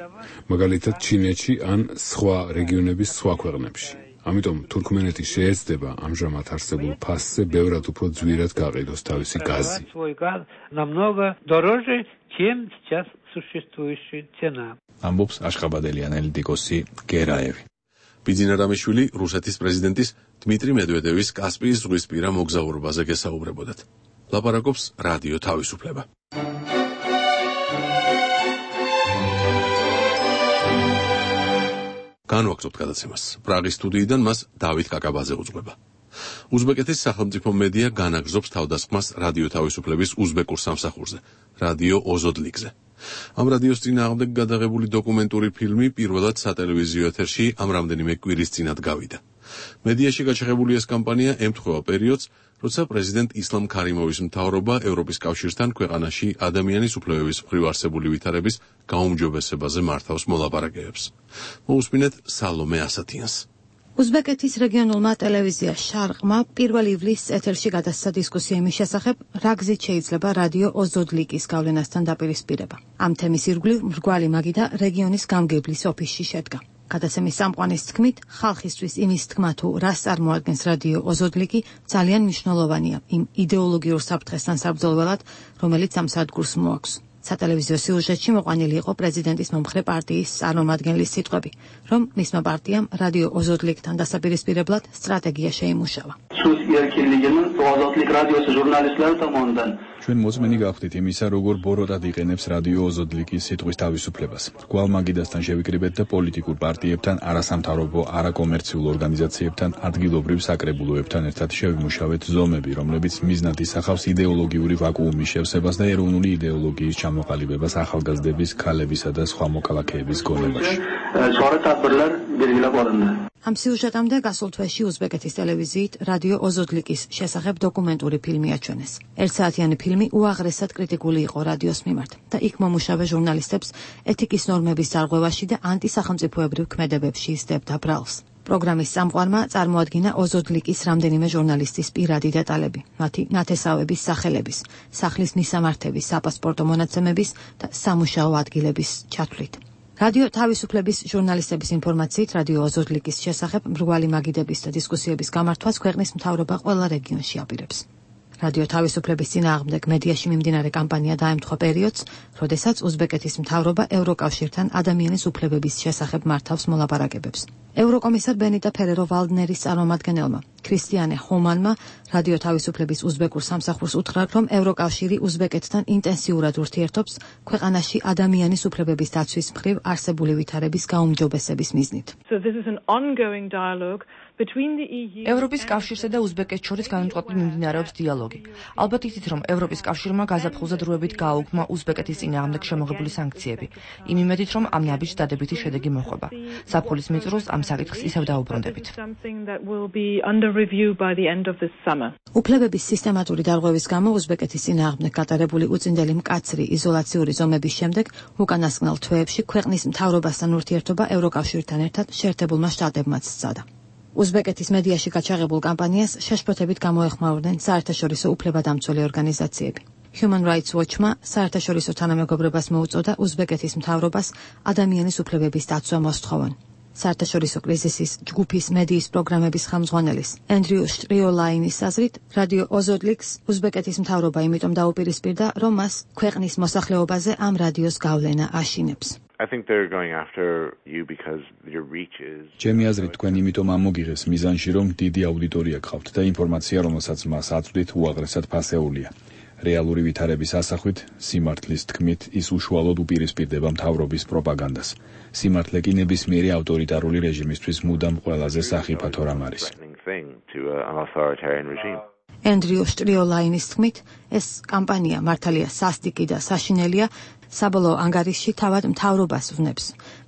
მაგალითად ჩინეთში ან სხვა რეგიონების სხვა ქვეყნებში. ამიტომ თურქმენეთი შეეცდება ამჟამად არსებულ ფასზე ბევრად უფრო ძვირად გაყიდოს თავისი გაზი. ამბობს აშხაბადელი ანალიტიკოსი გერაევი. ბიძინა რამიშვილი რუსეთის პრეზიდენტის დმიტრი მედვედევის კასპიის ზღვისპირა მოგზაურობაზე გესაუბრებოდათ. ლაპარაკობს რადიო თავისუფლება. განვაგრძობთ გადაცემას. პრაღის სტუდიიდან მას დავით კაკაბაძე უძღვება. უზბეკეთის სახელმწიფო მედია განაგრძობს თავდასხმას რადიო თავისუფლების უზბეკურ სამსახურზე, რადიო ოზოდლიგზე. ამ რადიოს წინააღმდეგ გადაღებული დოკუმენტური ფილმი პირველად სატელევიზიო ეთერში ამ რამდენიმე კვირის წინათ გავიდა. მედიაში გაჩაღებული ეს კამპანია ემთხვევა პერიოდს, როცა პრეზიდენტ ისლამ ქარიმოვის მთავრობა ევროპის კავშირთან ქვეყანაში ადამიანის უფლებების მხრივ არსებული ვითარების გაუმჯობესებაზე მართავს მოლაპარაკებებს. მოусმინეთ სალომე ასათიანს. უზბეკეთის რეგიონულმა ტელევიზია შარყმა 1 ივლისს ეთერში გადასცა დისკუსია იმის შესახებ, რა გზით შეიძლება რადიო ოზოდლიკის გავლენასთან დაპირისპირება. ამ თემის ირგვლივ მრგვალი მაგიდა რეგიონის გამგებლის ოფისში შედგა. გადაცემის წამყვანის თქმით, ხალხისთვის იმის თქმა თუ რას წარმოადგენს რადიო ოზოდლიკი ძალიან მნიშვნელოვანია იმ იდეოლოგიურ საფრთხესთან საბრძოლველად, რომელიც ამ სადგურს მოაქვს. სატელევიზიო სიუჟეტში მოყვანილი იყო პრეზიდენტის მომხრე პარტიის წარმომადგენლის სიტყვები, რომ მისმა პარტიამ რადიო ოზოდლიკთან დასაპირისპირებლად სტრატეგია შეიმუშავა. ჩვენ მოწმენი გავხდით იმისა, როგორ ბოროტად იყენებს რადიო ოზოდლიკის სიტყვის თავისუფლებას. რგვალ მაგიდასთან შევიკრიბეთ და პოლიტიკურ პარტიებთან, არასამთავრობო, არაკომერციულ ორგანიზაციებთან, ადგილობრივ საკრებულოებთან ერთად შევიმუშავეთ ზომები, რომლებიც მიზნად ისახავს იდეოლოგიური ვაკუუმის შევსებას და ეროვნული იდეოლოგიის ჩამოყალიბებას ახალგაზრდების, ქალებისა და სხვა მოქალაქეების გონებაში. ამ სიუჟეტამდე გასულ თვეში უზბეკეთის ტელევიზიით რადიო ოზოდლიკის შესახებ დოკუმენტური ფილმი აჩვენეს. ერთსაათიანი ფილმი უაღრესად კრიტიკული იყო რადიოს მიმართ და იქ მომუშავე ჟურნალისტებს ეთიკის ნორმების დარღვევაში და ანტისახელმწიფოებრივ ქმედებებში ისდებდა ბრალს. პროგრამის წამყვანმა წარმოადგინა ოზოდლიკის რამდენიმე ჟურნალისტის პირადი დეტალები, მათი ნათესავების სახელების, სახლის მისამართების, საპასპორტო მონაცემების და სამუშაო ადგილების ჩათვლით. რადიო თავისუფლების ჟურნალისტების ინფორმაციით რადიო ოზოდლიკის შესახებ მრგვალი მაგიდების და დისკუსიების გამართვას ქვეყნის მთავრობა ყველა რეგიონში აპირებს. რადიო თავისუფლების წინააღმდეგ მედიაში მიმდინარე კამპანია დაემთხვა პერიოდს, როდესაც უზბეკეთის მთავრობა ევროკავშირთან ადამიანის უფლებების შესახებ მართავს მოლაპარაკებებს. ევროკომისარ ბენიტა ფერერო-ვალდნერის წარმომადგენელმა ქრისტიანე ხომანმა რადიო თავისუფლების უზბეკურ სამსახურს უთხრა, რომ ევროკავშირი უზბეკეთთან ინტენსიურად ურთიერთობს ქვეყანაში ადამიანის უფლებების დაცვის მხრივ არსებული ვითარების გაუმჯობესების მიზნით. ევროპის კავშირსა და უზბეკეთს შორის განუწყვეტლად მიმდინარეობს დიალოგი. ალბათ იცით, რომ ევროპის კავშირმა გაზაფხულზე დროებით გააუქმა უზბეკეთის წინააღმდეგ შემოღებული სანქციები. იმ იმედით, რომ ამ ნაბიჯს დადებითი შედეგი მოხვება. საფულის მიწურულს ამ საკითხს ისევ დაუბრუნდებით. უფლებების სისტემატური დარღვევის გამო უზბეკეთის წინააღმდეგ გატარებული უწინდელი მკაცრი იზოლაციური ზომების შემდეგ უკანასკნელ თვეებში ქვეყნის მთავრობასთან ურთიერთობა ევროკავშირთან ერთად შეერთებულმა შტატებმაც სცადა. უზბეკეთის მედიაში გაჩაღებულ კამპანიას შეშფოთებით გამოეხმაურდნენ საერთაშორისო უფლებადამცველი ორგანიზაციები. Human Rights Watch-მა საერთაშორისო თანამეგობრებას მოუწოდა უზბეკეთის მთავრობას ადამიანის უფლებების დაცვა მოსთხოვონ. საერთაშორისო კრიზისის ჯგუფის მედიის პროგრამების ხელმძღვანელის ენდრიუ შტრიოლაინის აზრით, რადიო ოზოდლიკს უზბეკეთის მთავრობა იმიტომ დაუპირისპირდა, რომ მას ქვეყნის მოსახლეობაზე ამ რადიოს გავლენა აშინებს. I think they're going after you because your reach is ჩემი აზრით თქვენ იმიტომ ამოგიღეს მიზანში, რომ დიდი აუდიტორია გყავთ და ინფორმაცია, რომელსაც მას აწვდით, უაღრესად ფასეულია. რეალური ვითარების ასახვით, სიმართლის თქმით, ის უშუალოდ უპირისპირდება მთავრობის პროპაგანდას. სიმართლე კი ნებისმიერი ავტორიტარული რეჟიმისთვის მუდამ ყველაზე სახიფათო რამ არის. ენდრიუ შტრიოლაინის თქმით, ეს კამპანია მართალია სასტიკი და საშინელია, საბოლოო ანგარიშში თავად მთავრობას ვნებს,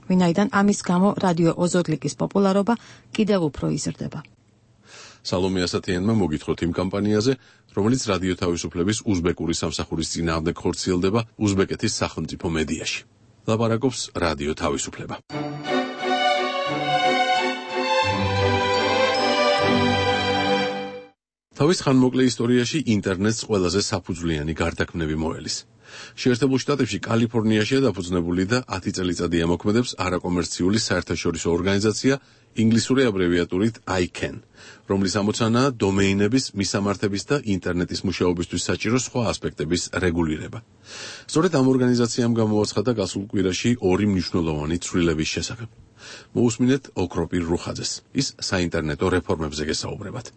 ვინაიდან ამის გამო რადიო ოზოდლიკის პოპულარობა კიდევ უფრო იზრდება. სალომე ასათიანმა მოგითხროთ იმ კამპანიაზე, რომელიც რადიო თავისუფლების უზბეკური სამსახურის წინააღმდეგ ხორციელდება უზბეკეთის სახელმწიფო მედიაში. ლაპარაკობს რადიო თავისუფლება. თავის ხანმოკლე ისტორიაში ინტერნეტს ყველაზე საფუძვლიანი გარდაქმნები მოელის. შეერთებულ შტატებში კალიფორნიაშია დაფუძნებული და 10 წელიწადი ამოქმედებს არაკომერციული საერთაშორისო ორგანიზაცია ინგლისური აბრევიატურით ICANN, რომლის ამოცანაა დომეინების, მისამართების და ინტერნეტის მუშაობისთვის საჭირო სხვა ასპექტების რეგულირება. სწორედ ამ ორგანიზაციამ გამოაცხადა გასულ კვირაში ორი მნიშვნელოვანი ცვლილების შესახებ. მოусმინეთ ოქროპირ რუხაძეს. ის საინტერნეტო რეფორმებზე გესაუბრებათ.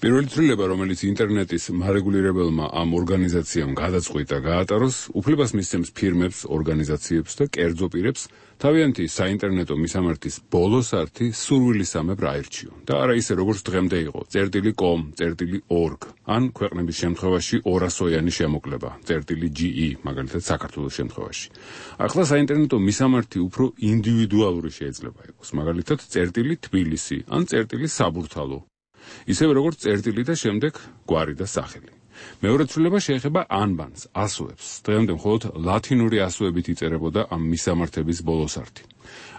პირველი ცვლილება, რომელიც ინტერნეტის მარეგულირებელმა ამ ორგანიზაციამ გადაწყვიტა გაატაროს, უფლებას მისცემს ფირმებს, ორგანიზაციებს და კერძო პირებს თავიანთი საინტერნეტო მისამართის ბოლოს ართი სურვილისამებრ აირჩიონ და არა ისე როგორც დღემდე იყო .com.org ან ქვეყნების შემთხვევაში 200-იანი შემოკლება .ge მაგალითად საქართველოს შემთხვევაში. ახლა საინტერნეტო მისამართი უფრო ინდივიდუალური შეიძლება იყოს, მაგალითად .თბილისი ან .საბურთალო. ისევე როგორც წერტილი და შემდეგ გვარი და სახელი. მეორე ცვლილება შეეხება ანბანს, ასოებს. დღემდე მხოლოდ ლათინური ასოებით იწერებოდა ამ მისამართების ბოლოს ართი.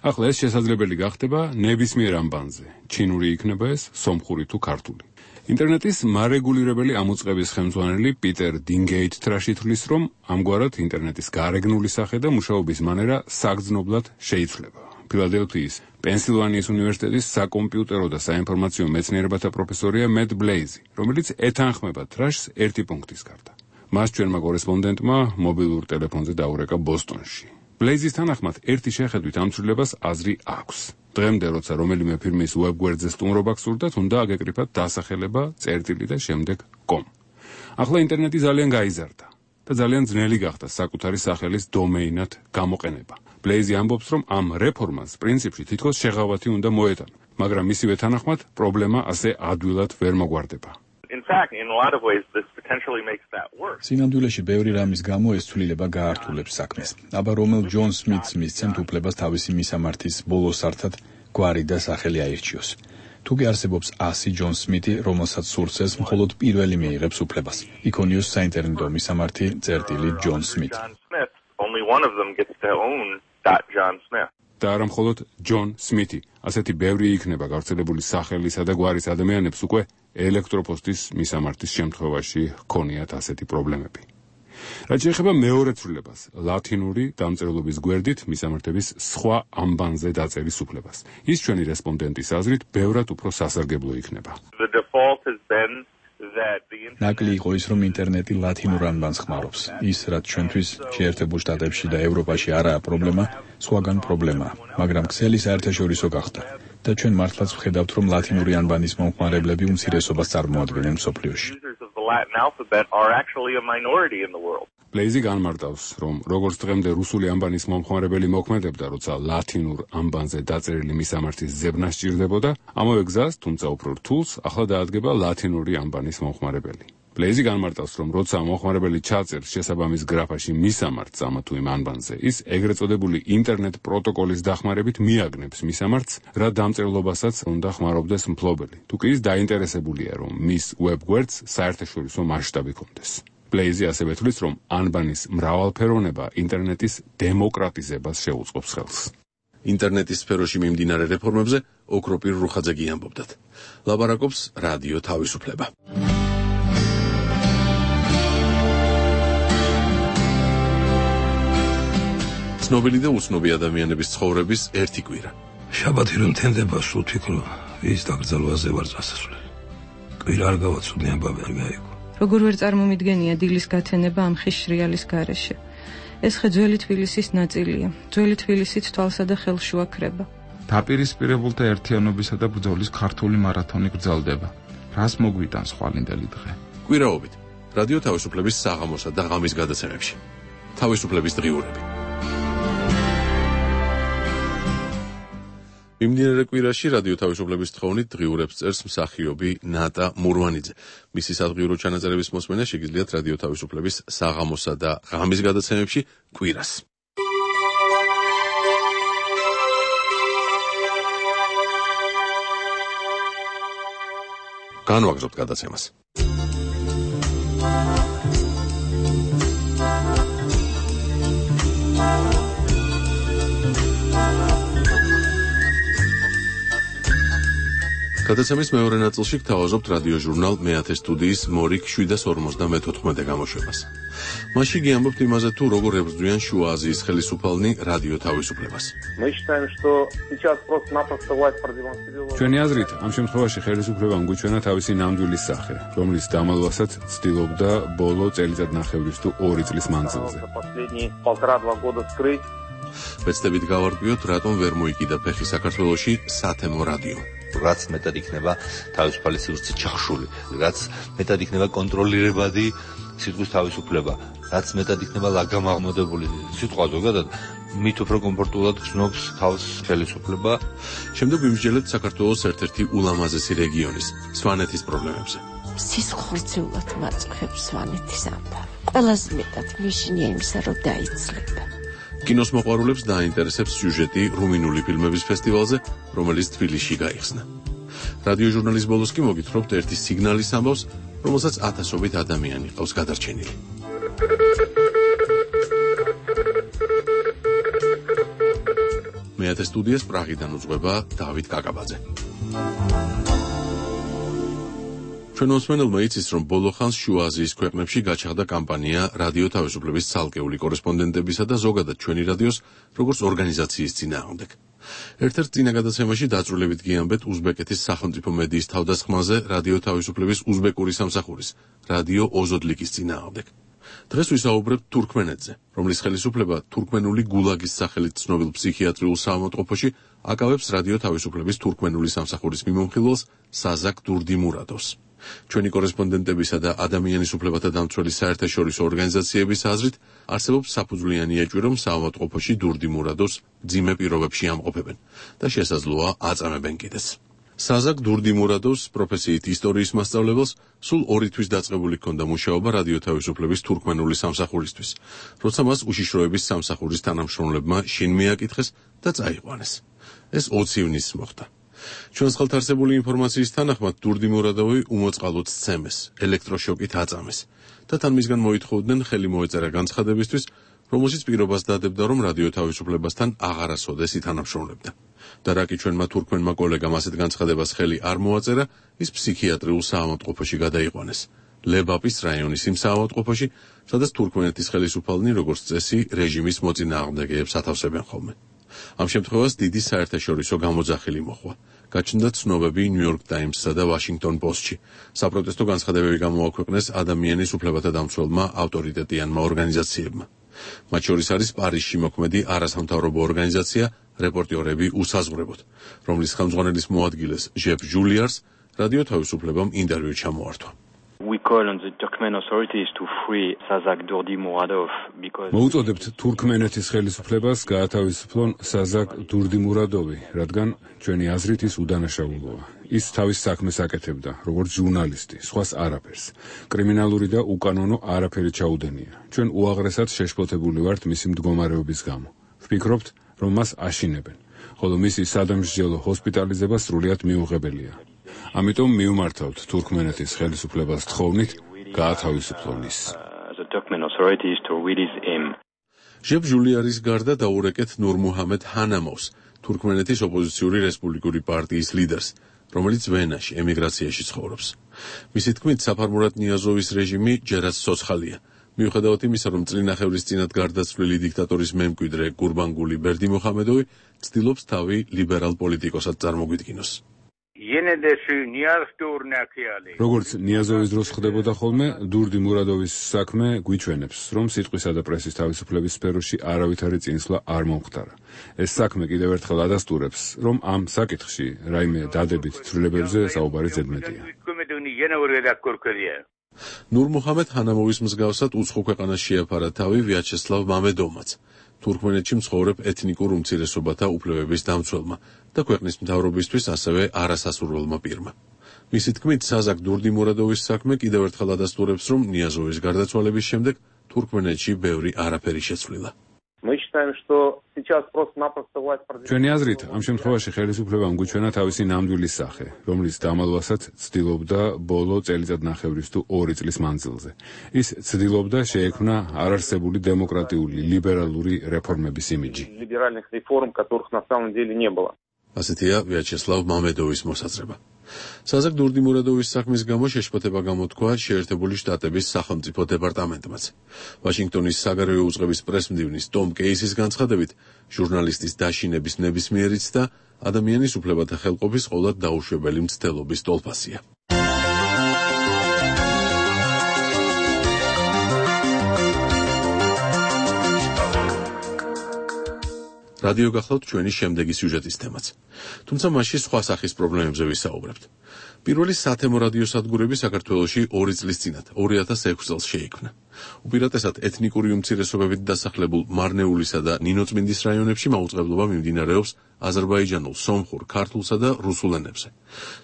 ახლა ეს შესაძლებელი გახდება ნებისმიერ ანბანზე. ჩინური იქნება ეს, სომხური თუ ქართული. ინტერნეტის მარეგულირებელი ამოწყების ხელმძღვანელი პიტერ დინგეითტრაში თვლის, რომ ამგვარად ინტერნეტის გარეგნული სახე და მუშაობის მანერა საგრძნობლად შეიცვლება. ფილადელფიის პენსილვანიის უნივერსიტეტის საკომპიუტერო და საინფორმაციო მეცნიერებათა პროფესორია მეტ ბლეიზი, რომელიც ეთანხმება თრაშს ერთი პუნქტის გარდა. მას ჩვენმა კორესპონდენტმა მობილურ ტელეფონზე დაურეკა ბოსტონში. ბლეიზის თანახმად ერთი შეხედვით ამ ცვლილებას აზრი აქვს. დღემდე როცა რომელიმე ფირმის ვებგვერდზე სტუმრობა გსურდათ, უნდა აგეკრიფათ დასახელება, წერტილი და შემდეგ .com. ახლა ინტერნეტი ძალიან გაიზარდა და ძალიან ძნელი გახდა საკუთარი სახელის დომეინად გამოყენება. ბლეიზი ამბობს, რომ ამ რეფორმას პრინციპში თითქოს შეღავათი უნდა მოეტანა, მაგრამ მისივე თანახმად პრობლემა ასე ადვილად ვერ მოგვარდება. სინამდვილეში ბევრი რამის გამო ეს ცვლილება გაართულებს საქმეს. აბა რომელ ჯონ სმითს მისცემთ უფლებას თავისი მისამართის ბოლო სართად გვარი და სახელი აირჩიოს. თუ კი არსებობს 100 ჯონ სმითი, რომელსაც სურს ეს, მხოლოდ პირველი მიიღებს უფლებას. იქონიოს საინტერნეტო მისამართი წერტილი ჯონ სმითი. და არა მხოლოდ ჯონ სმითი, ასეთი ბევრი იქნება გავრცელებული სახელისა და გვარის ადამიანებს უკვე ელექტროპოსტის მისამართის შემთხვევაში ჰქონიათ ასეთი პრობლემები. რაც შეეხება მეორე ცვლილებას, ლათინური დამწერლობის გვერდით მისამართების სხვა ამბანზე დაწერის უფლებას. ის ჩვენი რესპონდენტის აზრით ბევრად უფრო სასარგებლო იქნება. ნაკლი იყო ის, რომ ინტერნეტი ლათინურ ანბანს ხმარობს. ის, რაც ჩვენთვის შეერთებულ შტატებში და ევროპაში არაა პრობლემა, სხვაგან პრობლემაა, მაგრამ ქსელი საერთაშორისო გახდა და ჩვენ მართლაც ვხედავთ, რომ ლათინური ანბანის მომხმარებლები უმცირესობას წარმოადგენენ მსოფლიოში. ბლეიზი განმარტავს, რომ როგორც დღემდე რუსული ანბანის მომხმარებელი მოქმედებდა, როცა ლათინურ ანბანზე დაწერილი მისამართის ზებნა სჭირდებოდა, ამავე გზას, თუმცა უფრო რთულს, ახლა დაადგება ლათინური ანბანის მომხმარებელი. ბლეიზი განმარტავს, რომ როცა მომხმარებელი ჩაწერს შესაბამის გრაფაში მისამართს ამა თუ იმ ანბანზე, ის ეგრეთ წოდებული ინტერნეტ პროტოკოლის დახმარებით მიაგნებს მისამართს, რა დამწერლობასაც უნდა ხმარობდეს მფლობელი. თუ კი ის დაინტერესებულია, რომ მის ვებგვერდს საერთაშორისო მასშტაბი ჰქონდეს. ბლეიზი ასევე თვლის, რომ ანბანის მრავალფეროვნება ინტერნეტის დემოკრატიზებას შეუწყობს ხელს. ინტერნეტის სფეროში მიმდინარე რეფორმებზე ოქროპირ რუხაძე ამბობდათ. ლაბარაკობს რადიო თავისუფლება. ცნობილი და უცნობი ადამიანების ცხოვრების ერთი კვირა. შაბათი რომ თენდება, სულ თვითონ ის დაკრძალვაზე ვარ წასასვლელი. კვირა არ გავაცოდნი, ამბავი არ გაიგო. როგორ ვერ წარმომიდგენია დილის გათენება ამ ხის შრიალის გარეშე. ეს ხე ძველი თბილისის ნაწილია. ძველი თბილისიც თვალსა და ხელს შუაქრება. დაპირისპირებულთა ერთიანობისა და ბრძოლის ქართული მარათონი გრძელდება. რას მოგვიტანს ხვალინდელი დღე? კვირაობით რადიო თავისუფლების საღამოსა და ღამის გადაცემებში. თავისუფლების დღიურები. მიმდინარე კვირაში რადიო თავისუფლების თხოვნით დღიურებს წერს მსახიობი ნატა მურვანიძე. მისი სადღიურო ჩანაწერების მოსმენა შეგიძლიათ რადიო თავისუფლების საღამოსა და ღამის გადაცემებში კვირას. განვაგრძობთ გადაცემას. გადაცემის მეორე ნაწილში გთავაზობთ რადიო ჟურნალ მეათე სტუდიის მორიგ 754 გამოშვებას. მასში გიამბობთ იმაზე, თუ როგორ ებრძვიან შუა აზიის ხელისუფალნი რადიო თავისუფლებას. ჩვენი აზრით, ამ შემთხვევაში ხელისუფლებამ გვიჩვენა თავისი ნამდვილი სახე, რომლის დამალვასაც ცდილობდა ბოლო წელიწადნახევრის თუ 2 წლის მანძილზე. ვეცდებით გავარკვიოთ, რატომ ვერ მოიკიდა ფეხი საქართველოში სათემო რადიო. რაც მეტად იქნება თავისუფალი სივრცე ჩახშული, რაც მეტად იქნება კონტროლირებადი სიტყვის თავისუფლება, რაც მეტად იქნება ლაგამაღმოდებული სიტყვა ზოგადად, მით უფრო კომფორტულად გრძნობს თავს ხელისუფლება. შემდეგ ვიმსჯელებთ საქართველოს ერთ-ერთი ულამაზესი რეგიონის, სვანეთის პრობლემებზე. სისხლძეულად მაწყობს სვანეთის ამბავი. ყველაზე მეტად მიშნია იმისა, რომ დაიცლება. კინოს მოყვარულებს დაინტერესებს სიუჟეტი რუმინული ფილმების ფესტივალზე, რომელიც თბილისში გაიხსნა. რადიო ჟურნალის ბოლოს კი მოგითხრობთ ერთი სიგნალის ამბავს, რომელსაც ათასობით ადამიანი ყავს გადარჩენილი. მეათე სტუდიას პრაღიდან უძღვება დავით კაკაბაძე. ჩვენ მოსმენელმა იცის, რომ ბოლო ხანს შუა აზიის ქვეყნებში გაჩაღდა კამპანია რადიო თავისუფლების ცალკეული კორესპონდენტებისა და ზოგადად ჩვენი რადიოს როგორც ორგანიზაციის წინააღმდეგ. ერთ-ერთ წინა გადაცემაში დაწვრილებით გიამბეთ უზბეკეთის სახელმწიფო მედიის თავდასხმაზე რადიო თავისუფლების უზბეკური სამსახურის, რადიო ოზოდლიკის წინააღმდეგ. დღეს ვისაუბრებთ თურქმენეთზე, რომლის ხელისუფლება თურქმენული გულაგის სახელით ცნობილ ფსიქიატრიულ საავადმყოფოში აკავებს რადიო თავისუფლების თურქმენული სამსახურის მიმოხილველს საზაკ დურდიმურადოვს. ჩვენი კორესპონდენტებისა და ადამიანის უფლებათა დამცველი საერთაშორისო ორგანიზაციების აზრით, არსებობს საფუძვლიანი ეჭვი, რომ საავადმყოფოში დურდიმურადოვს მძიმე პირობებში ამყოფებენ და შესაძლოა აწამებენ კიდეც. საზაკ დურდიმურადოვს პროფესიით ისტორიის მასწავლებელს სულ 2 თვის დაწყებული ჰქონდა მუშაობა რადიო თავისუფლების თურქმენული სამსახურისთვის, როცა მას უშიშროების სამსახურის თანამშრომლებმა შინ მიაკითხეს და წაიყვანეს. ეს 20 ივნისს მოხდა. ჩვენს ხელთ არსებული ინფორმაციის თანახმად დურდიმურადოვი უმოწყალოდ სცემეს, ელექტროშოკით აწამეს და თან მისგან მოითხოვდნენ ხელი მოეწერა განცხადებისთვის, რომელშიც პირობას დადებდა, რომ რადიო თავისუფლებასთან აღარასოდეს ითანამშრომლებდა. და რა კი ჩვენმა თურქმენმა კოლეგამ ასეთ განცხადებას ხელი არ მოაწერა, ის ფსიქიატრიულ საავადმყოფოში გადაიყვანეს. ლებაპის რაიონის იმ საავადმყოფოში, სადაც თურქმენეთის ხელისუფალნი როგორც წესი რეჟიმის მოწინააღმდეგეებს ათავსებენ ხოლმე. ამ შემთხვევას დიდი საერთაშორისო გამოძახილი მოჰყვა. გაჩნდა ცნობები ნიუ-იორკ ტაიმსსა და ვაშინგტონ პოსტში. საპროტესტო განცხადებები გამოაქვეყნეს ადამიანის უფლებათა დამცველმა ავტორიტეტიანმა ორგანიზაციებმა. მათ შორის არის პარიზში მოქმედი არასამთავრობო ორგანიზაცია რეპორტიორები უსაზღვრებოდ, რომლის ხელმძღვანელის მოადგილეს ჟეფ ჟულიარს რადიო თავისუფლებამ ინტერვიუ ჩამოართვა. მოუწოდებთ თურქმენეთის ხელისუფლებას გაათავისუფლონ საზაკ დურდიმურადოვი, რადგან ჩვენი აზრით ის უდანაშაულოა. ის თავის საქმეს აკეთებდა, როგორც ჟურნალისტი, სხვას არაფერს. კრიმინალური და უკანონო არაფერი ჩაუდენია. ჩვენ უაღრესად შეშფოთებული ვართ მისი მდგომარეობის გამო. ვფიქრობთ, რომ მას აშინებენ, ხოლო მისი სადამსჯელო ჰოსპიტალიზება სრულიად მიუღებელია. ამიტომ მივმართავთ თურქმენეთის ხელისუფლებას თხოვნით გაათავისუფლონ ის. ჟეფ ჟულიარის გარდა დაურეკეთ ნურმუჰამედ ჰანამოვს, თურქმენეთის ოპოზიციური რესპუბლიკური პარტიის ლიდერს, რომელიც ვენაში ემიგრაციაში ცხოვრობს. მისი თქმით, საფარმურატ ნიაზოვის რეჟიმი ჯერაც ცოცხალია. მიუხედავად იმისა, რომ წლინახევრის წინათ გარდაცვლილი დიქტატორის მემკვიდრე გურბანგული ბერდიმუჰამედოვი ცდილობს თავი ლიბერალ პოლიტიკოსად წარმოგვიდგინოს. როგორც ნიაზოვის დროს ხდებოდა ხოლმე, დურდიმურადოვის საქმე გვიჩვენებს, რომ სიტყვისა და პრესის თავისუფლების სფეროში არავითარი წინსვლა არ მომხდარა. ეს საქმე კიდევ ერთხელ ადასტურებს, რომ ამ საკითხში რაიმე დადებით ცვლილებებზე საუბარი ზედმეტია. ნურმუჰამედ ჰანამოვის მსგავსად უცხო ქვეყანას შეაფარა თავი ვიაჩესლავ მამედოვმაც, თურქმენეთში მცხოვრებ ეთნიკურ უმცირესობათა უფლებების დამცველმა და ქვეყნის მთავრობისთვის ასევე არასასურველმა პირმა. მისი თქმით, საზაკ დურდიმურადოვის საქმე კიდევ ერთხელ ადასტურებს, რომ ნიაზოვის გარდაცვალების შემდეგ თურქმენეთში ბევრი არაფერი შეცვლილა. ჩვენი აზრით, ამ შემთხვევაში ხელისუფლებამ გვიჩვენა თავისი ნამდვილი სახე, რომლის დამალვასაც ცდილობდა ბოლო წელიწადნახევრის თუ 2 წლის მანძილზე. ის ცდილობდა შეექმნა არარსებული დემოკრატიული, ლიბერალური რეფორმების იმიჯი. ასეთია ვიაჩესლავ მამედოვის მოსაზრება. საზაკ დურდიმურადოვის საქმის გამო შეშფოთება გამოთქვა შეერთებული შტატების სახელმწიფო დეპარტამენტმაც. ვაშინგტონის საგარეო უწყების პრესმდივნის ტომ კეისის განცხადებით, ჟურნალისტის დაშინების ნებისმიერიც და ადამიანის უფლებათა ხელყოფის ყოვლად დაუშვებელი მცდელობის ტოლფასია. რადიო გახლავთ ჩვენი შემდეგი სიუჟეტის თემაც. თუმცა მასში სხვა სახის პრობლემებზე ვისაუბრებთ. პირველი სათემო რადიო სადგურები საქართველოში 2 წლის წინათ, 2006 წელს შეიქმნა. უპირატესად ეთნიკური უმცირესობებით დასახლებულ მარნეულისა და ნინოწმინდის რაიონებში მაუწყებლობა მიმდინარეობს აზერბაიჯანულ, სომხურ, ქართულსა და რუსულ ენებზე.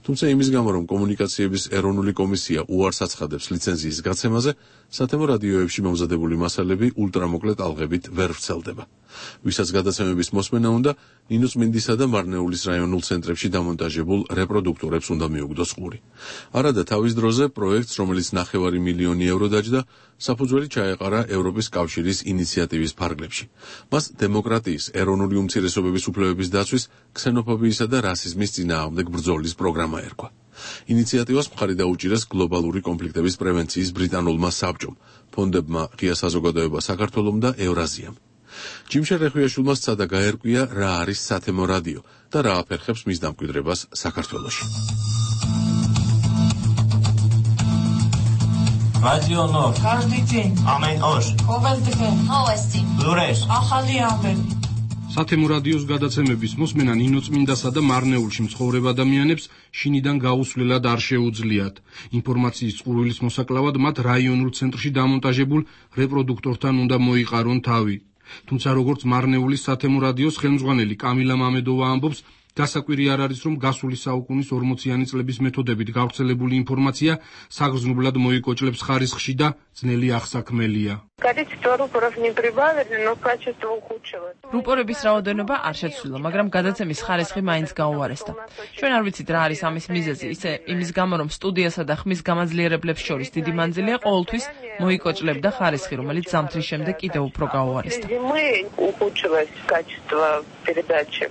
თუმცა იმის გამო, რომ კომუნიკაციების ეროვნული კომისია უარს აცხადებს ლიცენზიის გაცემაზე, სათემო რადიოებში მომზადებული მასალები ულტრამოკლე ტალღებით ვერ ვრცელდება. ვისაც გადაცემების მოსმენა უნდა, ნინოწმინდისა და მარნეულის რაიონულ ცენტრებში დამონტაჟებულ რეპროდუქტორებს უნდა მიუგდოს ყური. არადა თავის დროზე პროექტს, რომელიც 9 მილიონი ევრო დაჯდა, საფუძველი ჩაეყარა ევროპის კავშირის ინიციატივის ფარგლებში. მას დემოკრატიის, ეროვნული უმცირესობების უფლებების დაცვის, ქსენოფობიისა და რასიზმის წინააღმდეგ ბრძოლის პროგრამა ერქვა. ინიციატივას მხარი დაუჭირეს გლობალური კონფლიქტების პრევენციის ბრიტანულმა საბჭომ, ფონდებმა ღია საზოგადოება საქართველომ და ევრაზიამ. ჯიმშარ რეხვიაშვილმა სცადა გაერკვია, რა არის სათემო რადიო და რა აფერხებს მის დამკვიდრებას საქართველოში. რადიო ნორ. Каждый день. Ամեն օր. ყოველდღე. Новости. ლურեր. ახალი ამბები. სათემო რადიოს გადაცემების მოსმენა ნინოწმინდასა და მარნეულში მცხოვრებ ადამიანებს შინიდან გაუსვლელად არ შეუძლიათ. ინფორმაციის წყურვილის მოსაკლავად მათ რაიონულ ცენტრში დამონტაჟებულ რეპროდუქტორთან უნდა მოიყარონ თავი. თუმცა როგორც მარნეულის სათემო რადიოს ხელმძღვანელი კამილა მამედოვა ამბობს, გასაკვირი არ არის, რომ გასული საუკუნის 40-იანი წლების მეთოდებით გავრცელებული ინფორმაცია საგრძნობლად მოიკოჭლებს ხარისხში და ძნელი აღსაქმელია. Количество рупоров не прибавили, но качество ухудшилось. რუპორების რაოდენობა არ შეცვლილა, მაგრამ გადაცემის ხარისხი მაინც გაუარესდა. ჩვენ არ ვიცით რა არის ამის მიზეზი, ისე იმის გამო, რომ სტუდიასა და ხმის გამაძლიერებლებს შორის დიდი მანძილია ყოველთვის მოიკოჭლებდა ხარისხი, რომელიც ზამთრის შემდეგ კიდევ უფრო გაუარესდა. ухудшилось качество передачи.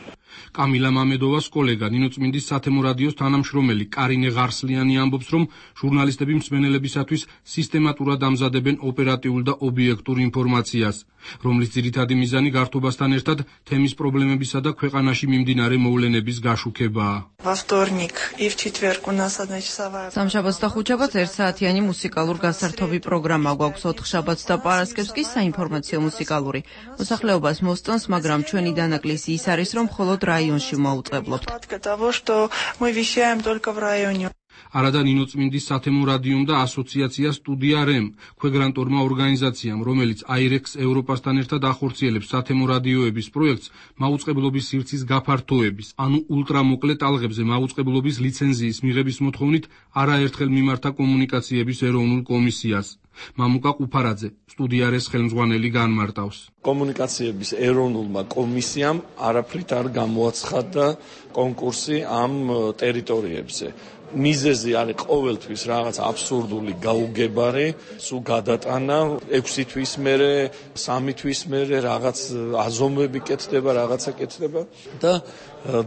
კამილა მამედოვას კოლეგა ნინოწმინდის სათემო რადიოს თანამშრომელი კარინე ღარსლიანი ამბობს, რომ ჟურნალისტები მსმენელებისათვის სისტემატურად ამზადებენ ოპერატიულ და ობიექტურ ინფორმაციას, რომლის ძირითადი მიზანი გართობასთან ერთად თემის პრობლემებისა და ქვეყანაში მიმდინარე მოვლენების გაშუქებაა. სამშაბათს და ხუთშაბათს ერთსაათიანი მუსიკალურ გასართობი პროგრამა გვაქვს, ოთხშაბათს და პარასკევს კი საინფორმაციო მუსიკალური. მოსახლეობას მოსწონს, მაგრამ ჩვენი დანაკლისი ის არის, რომ მხოლოდ რაიონში მოუწყებლობთ. არადა ნინოწმინდის სათემო რადიომ და ასოციაცია სტუდია რემ, ქვეგრანტორმა ორგანიზაციამ, რომელიც აირექს ევროპასთან ერთად ახორციელებს სათემო რადიოების პროექტს მაუწყებლობის სივრცის გაფართოების, ანუ ულტრამოკლე ტალღებზე მაუწყებლობის ლიცენზიის მიღების მოთხოვნით არაერთხელ მიმართა კომუნიკაციების ეროვნულ კომისიას. მამუკა ყუფარაძე, სტუდია რეს ხელმძღვანელი განმარტავს. კომუნიკაციების ეროვნულმა კომისიამ არაფრით არ გამოაცხადა კონკურსი ამ ტერიტორიებზე. მიზეზი არის ყოველთვის რაღაც აბსურდული გაუგებარი, სულ გადატანა 6 თვის მერე, 3 თვის მერე რაღაც აზომვები კეთდება, რაღაცა კეთდება და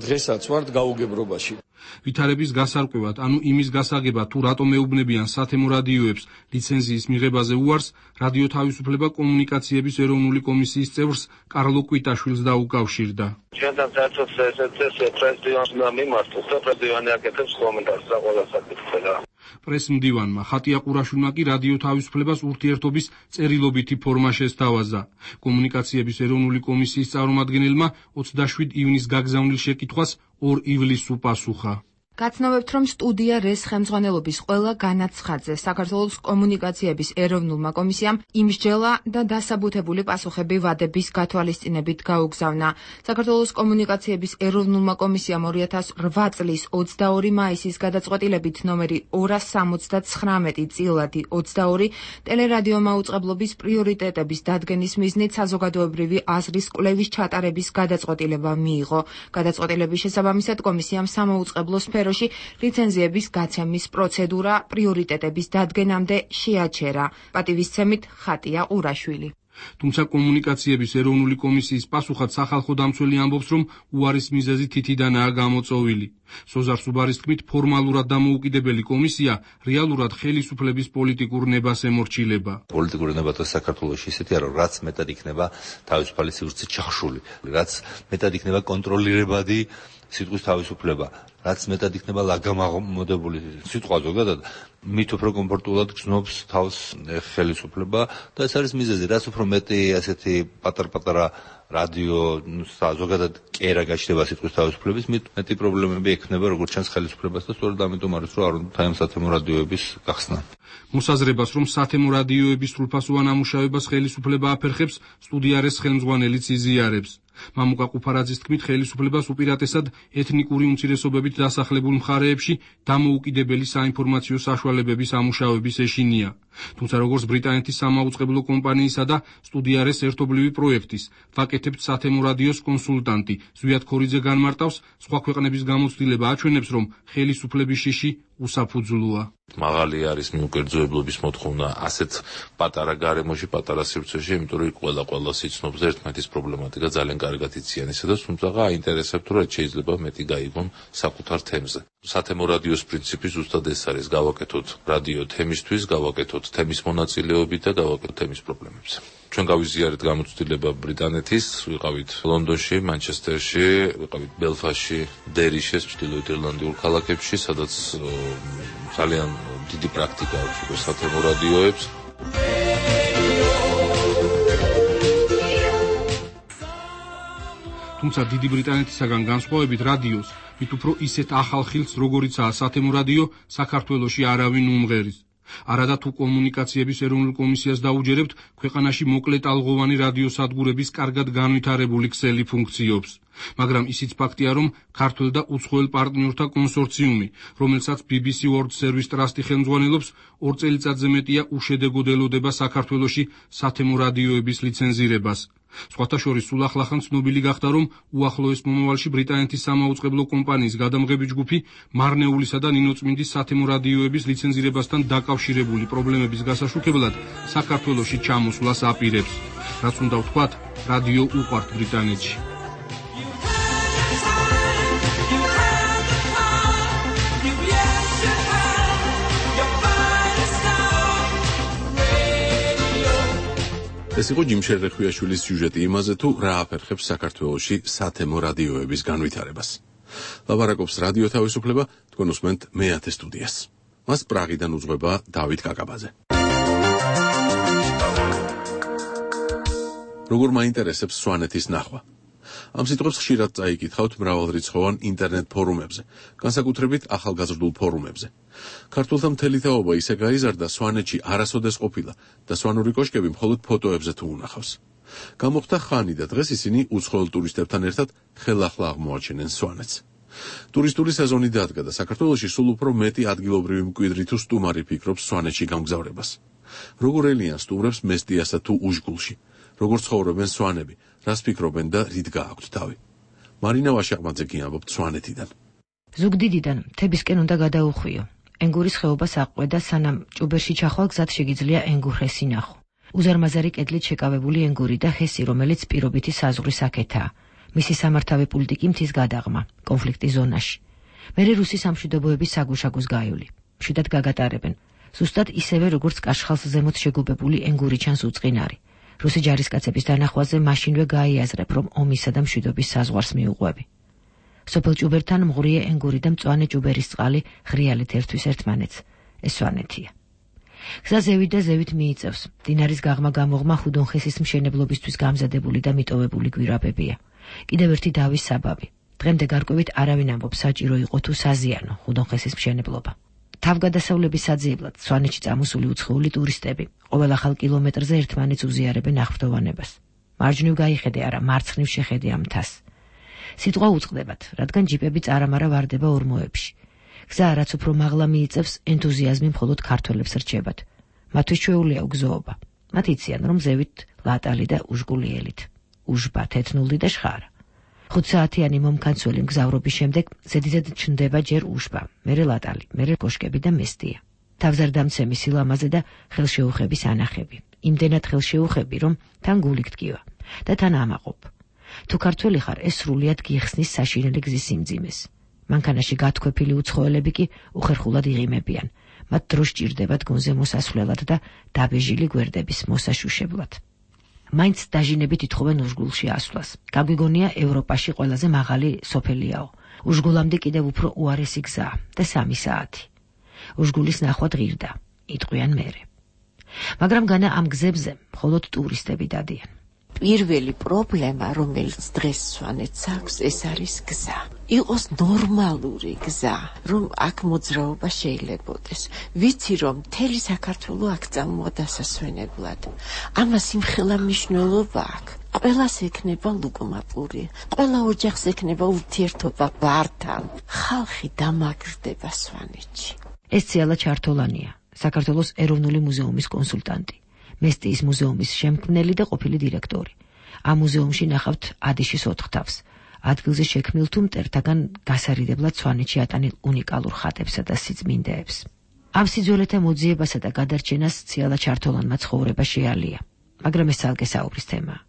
დღესაც ვართ გაუგებრობაში. ვითარების გასარკვევად, ანუ იმის გასაგებად, თუ რატომ ეუბნებიან სათემო რადიოებს ლიცენზიის მიღებაზე უარს, რადიო თავისუფლება კომუნიკაციების ეროვნული კომისიის წევრს კარლო კვიტაშვილს დაუკავშირდა. ჩვენთან საერთოდ ეს პრეზიდენტს უნდა მიმართოს და პრეზიდენტი აკეთებს კომენტარს და ყველა საკითხია. პრესმდივანმა ხატია ყურაშვილმა კი რადიო თავისუფლებას ურთიერთობის წერილობითი ფორმა შესთავაზა. კომუნიკაციების ეროვნული კომისიის წარმომადგენელმა 27 ივნის გაგზავნილ შეკითხვას 2 ივლისს უპასუხა. გაცნობებთ, რომ სტუდია რეს ხელმძღვანელობის ყველა განაცხადზე საქართველოს კომუნიკაციების ეროვნულმა კომისიამ იმსჯელა და დასაბუთებული პასუხები ვადების გათვალისწინებით გაუგზავნა. საქართველოს კომუნიკაციების ეროვნულმა კომისიამ 2008 წლის 22 მაისის გადაწყვეტილებით ნომერი 279 წილადი 22 ტელერადიო მაუწყებლობის პრიორიტეტების დადგენის მიზნით საზოგადოებრივი აზრის კვლევის ჩატარების გადაწყვეტილება მიიღო. გადაწყვეტილების შესაბამისად კომისიამ სამაუწყებლო სფეროში ლიცენზიების გაცემის პროცედურა პრიორიტეტების დადგენამდე შეაჩერა. პატივისცემით ხატია ყურაშვილი. თუმცა კომუნიკაციების ეროვნული კომისიის პასუხად სახალხო დამცველი ამბობს, რომ უარის მიზეზი თითიდანაა გამოწოვილი. სოზარ სუბარის თქმით, ფორმალურად დამოუკიდებელი კომისია რეალურად ხელისუფლების პოლიტიკურ ნებას ემორჩილება. პოლიტიკური ნება და საქართველოში ისეთი არა, რაც მეტად იქნება თავისუფალი სივრცე ჩახშული, რაც მეტად იქნება კონტროლირებადი სიტყვის თავისუფლება, რაც მეტად იქნება ლაგამაღმოდებული სიტყვა ზოგადად, მით უფრო კომფორტულად გრძნობს თავს ხელისუფლება და ეს არის მიზეზი, რაც უფრო მეტი ასეთი პატარ-პატარა რადიო ზოგადად კერა გაჩნდება სიტყვის თავისუფლების, მით მეტი პრობლემები ექნება როგორც ჩანს ხელისუფლებას და სწორედ ამიტომ არის, რომ არ უნდა ამ სათემო რადიოების გახსნა. მოსაზრებას, რომ სათემო რადიოების სრულფასოვან ამუშავებას ხელისუფლება აფერხებს, სტუდია რეს ხელმძღვანელიც იზიარებს. მამუკა ყუფარაძის თქმით, ხელისუფლებას უპირატესად ეთნიკური უმცირესობებით დასახლებულ მხარეებში დამოუკიდებელი საინფორმაციო საშუალებების ამუშავების ეშინია. თუმცა როგორც ბრიტანეთის სამაუწყებლო კომპანიისა და სტუდია რეს ერთობლივი პროექტის ვაკეთებთ სათემო რადიოს კონსულტანტი ზვიად ქორიძე განმარტავს, სხვა ქვეყნების გამოცდილება აჩვენებს, რომ ხელისუფლების შიში უსაფუძვლოა. მაღალი არის მიუკერძოებლობის მოთხოვნა ასეთ პატარა გარემოში, პატარა სივრცეში, იმიტომ რომ ყველა სიცნობს ერთმანეთის პრობლემატიკა ძალიან კარგად იციან ისედაც, თუმცა აინტერესებთ, რომ შეიძლება მეტი გაიგონ საკუთარ თემზე. სათემო რადიოს პრინციპი ზუსტად ეს არის, გავაკეთოთ რადიო თემისთვის, გავაკეთოთ თემის მონაწილეობით და გავაკეთოთ თემის პრობლემებზე. ჩვენ გავიზიარეთ გამოცდილება ბრიტანეთის, ვიყავით ლონდონში, მანჩესტერში, ვიყავით ბელფასტში, დერიშეს, ჩრდილოეთ ირლანდიურ ქალაქებში, სადაც ძალიან დიდი პრაქტიკა აქვს უკვე სათემო რადიოებს. თუმცა დიდი ბრიტანეთისაგან განსხვავებით რადიოს მით უფრო ისეთ ახალ ხილს, როგორიცაა სათემო რადიო, საქართველოში არავინ უმღერის. არადა თუ კომუნიკაციების ეროვნულ კომისიას დაუჯერებთ, ქვეყანაში მოკლეტალღოვანი რადიოსადგურების კარგად განვითარებული ქსელი ფუნქციობს. მაგრამ ისიც ფაქტია, რომ ქართველ და უცხოელ პარტნიორთა კონსორციუმი, რომელსაც BBC World Service Trust-ი ხელმძღვანელობს, 2 წელიწადზე მეტია უშედეგოდ ელოდება საქართველოში სათემო რადიოების ლიცენზირებას. სხვათა შორის სულ ახლახან ცნობილი გახდა, რომ უახლოეს მომავალში ბრიტანეთის სამაუწყებლო კომპანიის გადამღები ჯგუფი მარნეულისა და ნინოწმინდის სათემო რადიოების ლიცენზირებასთან დაკავშირებული პრობლემების გასაშუქებლად საქართველოში ჩამოსვლას აპირებს. რაც უნდა ვთქვათ, რადიო უყვართ ბრიტანეთში. ეს იყო ჯიმ შერეხვიაშვილის სიუჟეტი იმაზე, თუ რა აფერხებს საქართველოში სათემო რადიოების განვითარებას. ლაბარაკობს რადიო თავისუფლება, თქვენ უსმენთ მე-10 სტუდიას. მას პრაღიდან უძღვება დავით კაკაბაძე. როგორ მაინტერესებს სვანეთის ნახვა? ამ სიტყვებს ხშირად წაიკითხავთ მრავალრიცხოვან ინტერნეტ ფორუმებზე, განსაკუთრებით ახალგაზრდულ ფორუმებზე. ქართველთა მთელი თაობა ისე გაიზარდა, სვანეთში არასოდეს ყოფილა და სვანური კოშკები მხოლოდ ფოტოებზე თუ უნახავს. გამოხდა ხანი და დღეს ისინი უცხოელ ტურისტებთან ერთად ხელახლა აღმოაჩენენ სვანეთს. ტურისტული სეზონი დადგა და საქართველოში სულ უფრო მეტი ადგილობრივი მკვიდრი თუ სტუმარი ფიქრობს სვანეთში გამგზავრებას. როგორ ელიან სტუმრებს მესტიასა თუ უშგულში? როგორ ცხოვრობენ სვანები? რას ფიქრობენ და რით გააქვთ თავი? მარინა ვაშაყმაძე გიამბობთ სვანეთიდან. ზუგდიდიდან მთებისკენ უნდა გადაუხვიო. ენგურის ხეობას აყვედა, სანამ ჭუბერში ჩახვალ გზად შეგიძლია ენგურჰესი ნახო. უზარმაზარი კედლით შეკავებული ენგური და ჰესი, რომელიც პირობითი საზღვრის აქეთაა. მისი სამართავი პულტი კი მთის გადაღმა, კონფლიქტის ზონაში. მერე რუსი სამშვიდობოების საგუშაგოს გაივლი. მშვიდად გაგატარებენ. ზუსტად ისევე, როგორც კაშხალს ზემოთ შეგუბებული ენგური ჩანს უწყინარი. რუსი ჯარისკაცების დანახვაზე მაშინვე გაიაზრებ, რომ ომისა და მშვიდობის საზღვარს მიუყვები. სოფელ ჭუბერთან მღვრიე ენგური და მწვანე ჭუბერის წყალი ღრიალით ერთვის ერთმანეთს. ეს სვანეთია. გზა ზევით და ზევით მიიწევს. მდინარის გაღმა-გამოღმა ხუდონხესის მშენებლობისთვის გამზადებული და მიტოვებული გვირაბებია. კიდევ ერთი დავის საბაბი. დღემდე გარკვევით არავინ ამბობს, საჭირო იყო თუ საზიანო ხუდონხესის მშენებლობა. თავგადასავლების საძიებლად სვანეთში წამოსული უცხოელი ტურისტები ყოველ ახალ კილომეტრზე ერთმანეთს უზიარებენ აღფრთოვანებას. მარჯვნივ გაიხედე არა, მარცხნივ შეხედე ამ მთას. სიტყვა უწყდებათ, რადგან ჯიპები წარამარა ვარდება ორმოებში. გზა რაც უფრო მაღლა მიიწევს, ენთუზიაზმი მხოლოდ ქართველებს რჩებათ. მათთვის ჩვეულია უგზოობა. მათ იციან, რომ ზევით ლატალი და უშგულიელით. უშბა, თეთნული და შხარა. 5 საათიანი მომქანცველი მგზავრობის შემდეგ ზედიზედ ჩნდება ჯერ უშბა, მერე ლატალი, მერე კოშკები და მესტია. თავზარდამცემი სილამაზე და ხელშეუხების ანახები. იმდენად ხელშეუხები, რომ თან გული გტკივა და თან ამაყობ. თუ ქართველი ხარ, ეს სრულიად გიხსნის საშინელი გზის სიმძიმეს. მანქანაში გათქვეფილი უცხოელები კი უხერხულად იღიმებიან. მათ დრო სჭირდებათ გონზე მოსასვლელად და დაბეჟილი გვერდების მოსაშუშებლად. მაინც დაჟინებით ითხოვენ უშგულში ასვლას. გაგვიგონია ევროპაში ყველაზე მაღალი სოფელიაო. უშგულამდე კიდევ უფრო უარესი გზაა და 3 საათი. უშგულის ნახვა ღირდა, იტყვიან მერე. მაგრამ განა ამ გზებზე მხოლოდ ტურისტები დადიან. პირველი პრობლემა, რომელიც დღეს სვანეთს აქვს, ეს არის გზა. იყოს ნორმალური გზა, რომ აქ მოძრაობა შეიძლებოდეს. ვიცი, რომ მთელი საქართველო აქ წამოვა დასასვენებლად. ამას იმხელა მნიშვნელობა აქვს. ყველას ექნება ლუკმაპური, ყველა ოჯახს ექნება ურთიერთობა ბართან. ხალხი დამაგრდება სვანეთში. ეს ციალა ჩართოლანია, საქართველოს ეროვნული მუზეუმის კონსულტანტი. მესტიის მუზეუმის შემქმნელი და ყოფილი დირექტორი. ამ მუზეუმში ნახავთ ადიშის 4 თავს. ადგილზე შექმნილ თუ მტერთაგან გასარიდებლად სვანეთში ატანილ უნიკალურ ხატებსა და სიწმინდეებს. ამ სიძველეთა მოძიებასა და გადარჩენას ციალა ჩართოლანმა ცხოვრება შეალია, მაგრამ ეს ალგე საუბრის თემაა.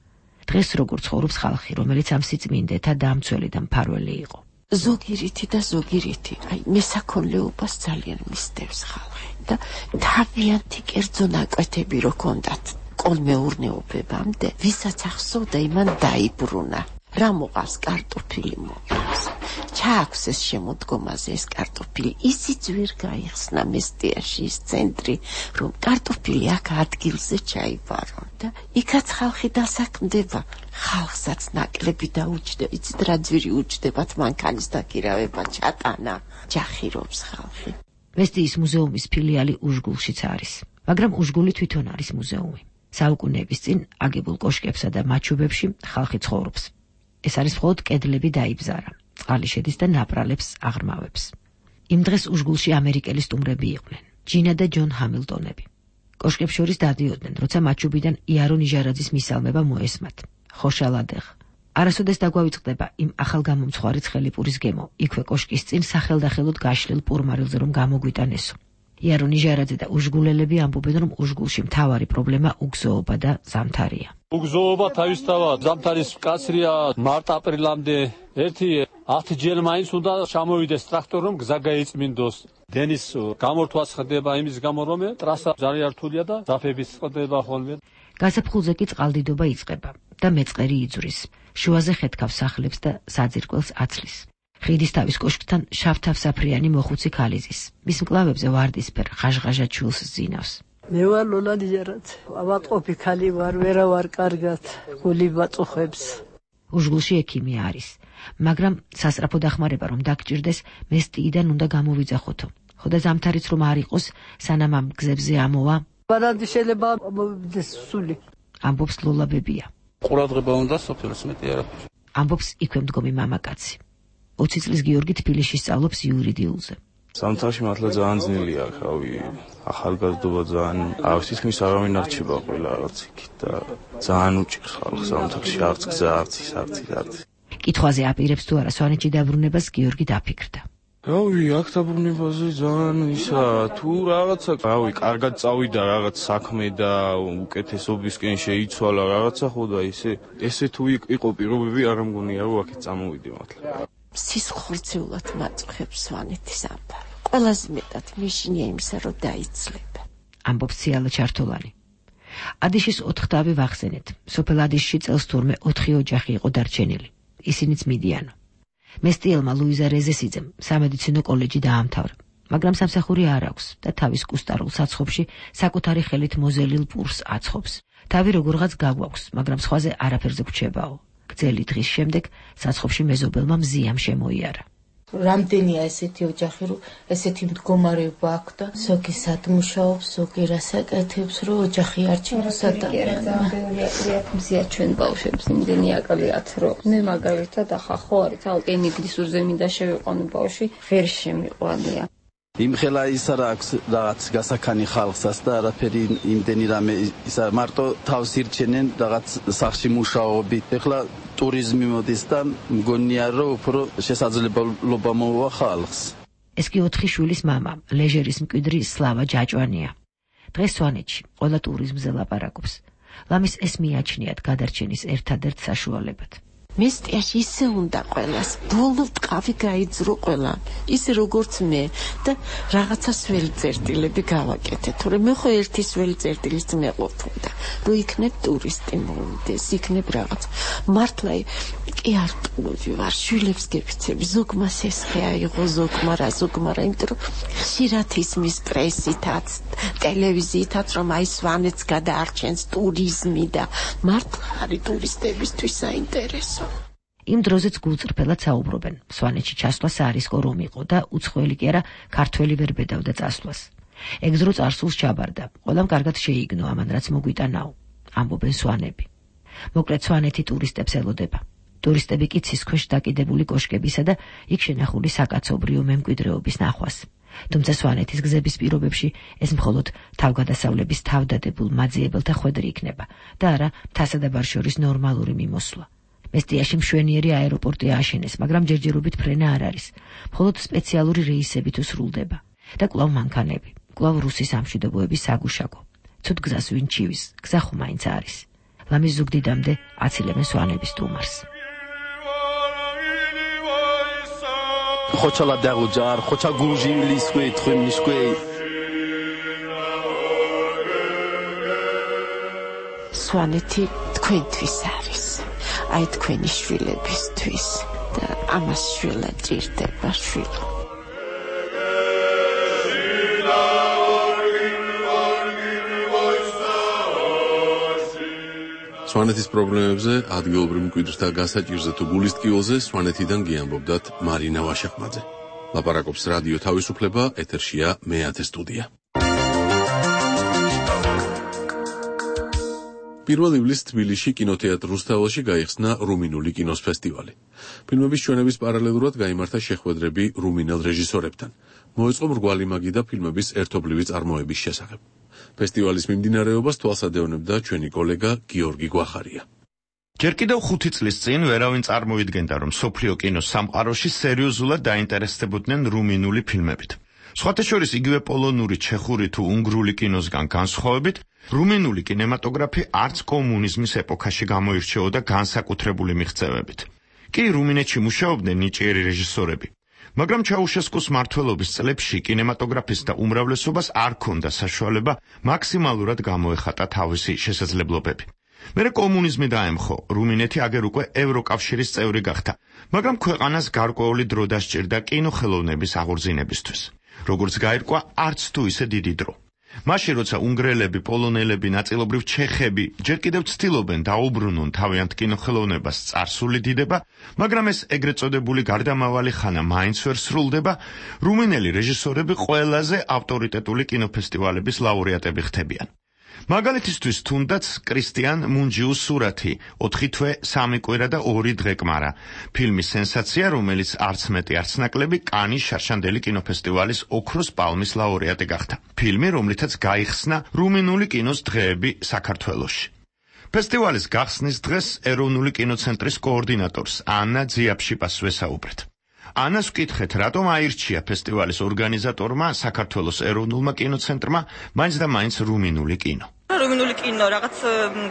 დღეს როგორ ცხოვრობს ხალხი, რომელიც ამ სიწმინდეთა დამცველი და მფარველი იყო. ზოგი რითი და ზოგი რითი, მესაქონლეობას ძალიან მისდევს ხალხი და თავიანთი კერძო ნაკვეთები რო ქონდათ ჩააქვს ეს შემოდგომაზე ეს კარტოფილი, ისიც ვერ გაიხსნა მესტიაში ის ცენტრი, რომ კარტოფილი აქ ადგილზე ჩაიბარო და იქაც ხალხი დასაქმდება. ხალხსაც ნაკლები დაუჯდება, იცით რა ძვირი უჯდებათ მანქანის დაქირავება ჩატანა, ჯახირობს ხალხი. მესტიის მუზეუმის ფილიალი უშგულშიც არის, მაგრამ უშგული თვითონ არის მუზეუმი. საუკუნეების წინ აგებულ კოშკებსა და მაჩუბებში ხალხი ცხოვრობს. ეს არის მხოლოდ კედლები დაიბზარა, წყალი შედის და ნაპრალებს აღრმავებს. იმ დღეს უშგულში ამერიკელი სტუმრები იყვნენ, ჯინა და ჯონ ჰამილტონები. კოშკებს შორის დადიოდნენ, როცა მაჩუბიდან იარო ნიჟარაძის მისალმება მოესმათ. ხოშალადეხ. არასოდეს დაგვავიწყდება იმ ახალგამომცხვარი ცხელიპურის გემო, იქვე კოშკის წინ სახელდახელოდ გაშლილ პურმარილზე რომ გამოგვიტანესო. იარო ნიჟარაძე და უშგულელები ამბობენ, რომ უშგულში მთავარი პრობლემა უგზოობა და ზამთარია. უგზოობა თავისთავად ზამთარის მკაცრია მარტ-აპრილამდე. ერთი 10 ჯერ მაინც უნდა ჩამოვიდეს ტრაქტორი, რომ გზა გაიწმინდოს. დენის გამორთვაც ხდება იმის გამო, რომ ტრასა ძალიან რთულია და ზაფების ხდება ხოლმე. გაზაფხულზე კი წყალდიდობა იწყება და მეწყერი იძვრის. შუაზე ხეთქავს სახლებს და საძირკველს აცლის. ხიდისთავის კოშკთან შავთავსაფრიანი მოხუცი ქალიზის. მის მკლავებზე ვარდისფერ ღაჟღაჟა ჩულს ზინავს. მე ვარ ლოლა ნიჟარაძე. ავატყოფი ქალი ვარ, ვერა ვარ კარგად, გული ვაწუხებს. უშგულში ექიმი არის, მაგრამ სასწრაფო დახმარება რომ დაგჭირდეს, მესტიიდან უნდა გამოვიძახოთო. ხოდა ზამთარიც რომ არ იყოს, სანამ ამ გზებზე ამოვა. ბარანდი შეიძლება მოვიდეს სული. ამბობს ლოლა ბებია. ყურადღება უნდა სოფელს მეტი არაფერი. ამბობს იქვე მდგომი მამაკაცი. 20 წლის გიორგი თბილისში სწავლობს იურიდიულზე. ზამთარში მართლა ძალიან ძნელია, ხავი, ახალგაზრდობა ძალიან, თითქმის არავინ არ რჩება ყველა რაღაც იქით და ძალიან უჭირს ხალხს ზამთარში არც გზა, არც ის. კითხვაზე აპირებს თუ არა სვანეთში დაბრუნებას გიორგი დაფიქრდა. რავი, აქ დაბრუნებაზე ძალიან ისა, თუ რაღაცა, კარგად წავიდა რაღაც საქმე და უკეთესობისკენ შეიცვალა რაღაცა, ხო და ესე თუ იყო პირობები, არ მგონია რომ აქეთ წამოვიდე მართლა. სისხლძეულად მაწუხებს სვანეთის ამბავი. ყველაზე მეტად მიშინია იმისა, რომ დაიცლება. ამბობს ციალა ჩართოლანი. ადიშის 4 თავი ვახსენეთ. სოფელ ადიშში წელს თურმე 4 ოჯახი იყო დარჩენილი. ისინიც მიდიანო. მესტიელმა ლუიზა რეზესიძემ სამედიცინო კოლეჯი დაამთავრა, მაგრამ სამსახური არ აქვს და თავის კუსტარულ საცხობში საკუთარი ხელით მოზელილ პურს აცხობს. თავი როგორღაც გაგვაქვს, მაგრამ სხვაზე არაფერზე გვჩებაო. გრძელი დღის შემდეგ საცხობში მეზობელმა მზიამ შემოიარა. რამდენია ესეთი ოჯახი, რომ ესეთი მდგომარეობა აქვს და ზოგი სადმუშაობს, ზოგი რასაკეთებს, რომ ოჯახი არ ჩინოსა და მზია ჩვენ ბავშვებს იმდენი აკლიათ, რომ მე მაგალითად ახლა ხო არის ალკენიგდისურზე მინდა შევიყვანო ბავშვი, ვერ შემიყვანია. იმხელა ისა რა აქვს რაღაც გასაქანი ხალხსაც და არაფერი იმდენი რამე ისა მარტო თავს ირჩენენ რაღაც სახში მუშაობით. ეხლა ტურიზმი მოდის და მგონია რომ უფრო შესაძლებლობა მოვა ხალხს. ეს კი 4 შვილის მამა, ლეჟერის მკვიდრი სლავა ჯაჭვანია. დღეს სვანეთში ყველა ტურიზმზე ლაპარაკობს. ლამის ეს მიაჩნიათ გადარჩენის ერთადერთ საშუალებად. მესტიაში ისე უნდა ყველას ბოლო ტყავი გაიძრო ყველა ისე როგორც მე და რაღაცას ველწერტილები გავაკეთე, თორემ მე ხო ერთის ველწერტილის მეყოფდა, რომ იქნებ ტურისტი მოვიდეს, იქნებ რაღაც. მართლა კი არ ტყუები ვარ, შვილებს გეფიცები, ზოგმა სესხე აიღო, ზოგმა რა, იმიტომ რომ ხშირად ისმის პრესითაც, ტელევიზიითაც, რომ აი სვანეთს გადაარჩენს ტურიზმი და მართლა არის ტურისტებისთვის საინტერესო. იმ დროზეც გულწრფელად საუბრობენ. სვანეთში ჩასვლა საარისკო რომ იყო და უცხოელი კი არა, ქართველი ვერ ბედავდა წასვლას. ეგზრო წარსულს ჩაბარდა. ყველამ კარგად შეიგნო ამან რაც მოგვიტანაო, ამბობენ სვანები. მოკლედ სვანეთი ტურისტებს ელოდება. ტურისტები კი ცის ქვეშ დაკიდებული კოშკებისა და იქ შენახული საკაცობრიო მემკვიდრეობის ნახვას. თუმცა სვანეთის გზების პირობებში ეს მხოლოდ თავგადასავლების თავდადებულ მაძიებელთა ხვედრი იქნება და არა მთასა და ბარშორის ნორმალური მიმოსვლა. მესტიაში მშვენიერი აეროპორტი ააშენეს, მაგრამ ჯერჯერობით ფრენა არ არის. მხოლოდ სპეციალური რეისები თუ სრულდება და კვლავ მანქანები, კვლავ რუსის სამშვიდობოების საგუშაგო. ცუდ გზას ვინ ჩივის, გზა ხომ მაინც არის. ლამის ზუგდიდამდე აცილებენ სვანების სტუმარს. ხოჩალა დაღუჯარ, ხოჩა გუჟი ლისკვე, თხემნიშკვე. სვანეთი თქვენთვის არის. აი თქვენი შვილებისთვის. და ამას შვილად ჭირდება შვილო. სვანეთის პრობლემებზე, ადგილობრივ მკვიდრთა გასაჭირზე თუ გულის ტკივილზე სვანეთიდან გიამბობდათ მარინა ვაშახმაძე. ლაპარაკობს რადიო თავისუფლება, ეთერშია მეათე სტუდია. 1 ივლისს თბილისში კინოთეატრ რუსთაველში გაიხსნა რუმინული კინოს ფესტივალი. ფილმების ჩვენების პარალელურად გაიმართა შეხვედრები რუმინელ რეჟისორებთან. მოეწყო მრგვალი მაგიდა ფილმების ერთობლივი წარმოების შესახებ. ფესტივალის მიმდინარეობას თვალსადევნებდა ჩვენი კოლეგა გიორგი გვახარია. ჯერ კიდევ 5 წლის წინ ვერავინ წარმოიდგენდა, რომ სოფლიო კინოს სამყაროში სერიოზულად დაინტერესდებოდნენ რუმინული ფილმებით. სხვათა შორის იგივე პოლონური, ჩეხური თუ უნგრული კინოსგან განსხვავებით, რუმინული კინემატოგრაფი არც კომუნიზმის ეპოქაში გამოირჩეოდა განსაკუთრებული მიღწევებით. კი რუმინეთში მუშაობდნენ ნიჭიერი რეჟისორები. მაგრამ ჩაუშესკოს მმართველობის წლებში კინემატოგრაფისტთა უმრავლესობას არ ჰქონდა საშუალება მაქსიმალურად გამოეხატა თავისი შესაძლებლობები. მერე კომუნიზმი დაემხო, რუმინეთი აგერ უკვე ევროკავშირის წევრი გახდა, მაგრამ ქვეყანას გარკვეული დრო დასჭირდა კინოხელოვნების აღორძინებისთვის. როგორც გაირკვა, არც თუ ისე დიდი დრო. მაშინ როცა უნგრელები, პოლონელები, ნაწილობრივ ჩეხები ჯერ კიდევ ცდილობენ დაუბრუნონ თავიანთ კინოხელოვნებას წარსული დიდება, მაგრამ ეს ეგრეთ წოდებული გარდამავალი ხანა მაინც ვერ სრულდება, რუმინელი რეჟისორები ყველაზე ავტორიტეტული კინოფესტივალების ლაურეატები ხდებიან. მაგალითისთვის თუნდაც კრისტიან მუნჯიუს სურათი 4 თვე 3 კვირა და 2 დღეკმარა ფილმის სენსაცია, რომელიც არც მეტი არც ნაკლები კანის შარშანდელი კინოფესტივალის ოქროს პალმის ლაურეატი გახდა. ფილმი, რომლითაც გაიხსნა რუმინული კინოს დღეები საქართველოში. ფესტივალის გახსნის დღეს ეროვნული კინოცენტრის კოორდინატორს ანა ძიაფშიპას ვესაუბრეთ. ანას ვკითხეთ, რატომ აირჩია ფესტივალის ორგანიზატორმა საქართველოს ეროვნულმა კინოცენტრმა მაინც და მაინც რუმინული კინო. რუმინული კინო რაღაც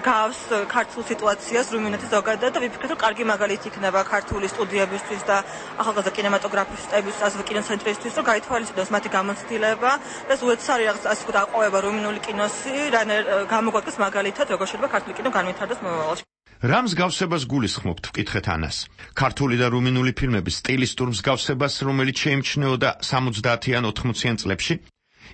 გავს ქართულ სიტუაციას რუმინეთის ზოგადად და ვიფიქრეთ, რომ კარგი მაგალითი იქნება ქართული სტუდიებისთვის და ახალგაზრდა კინემატოგრაფისტებისთვის, ასევე კინოცენტრისთვის, რომ გაითვალისწინოს მათი გამოცდილება და უეცს არის რაღაც ასე ვთქვათ აყვავება რუმინული კინოსი, რანერ გამოგვაკეთოს მაგალითად, როგორ შეიძლება ქართული კინო განვითარდეს მომავალში. რა მსგავსებას გულისხმობთ, ვკითხეთ ანას. ქართული და რუმინული ფილმების სტილისტურ მსგავსებას, რომელიც შეიმჩნეოდა 70-იან 80-იან წლებში,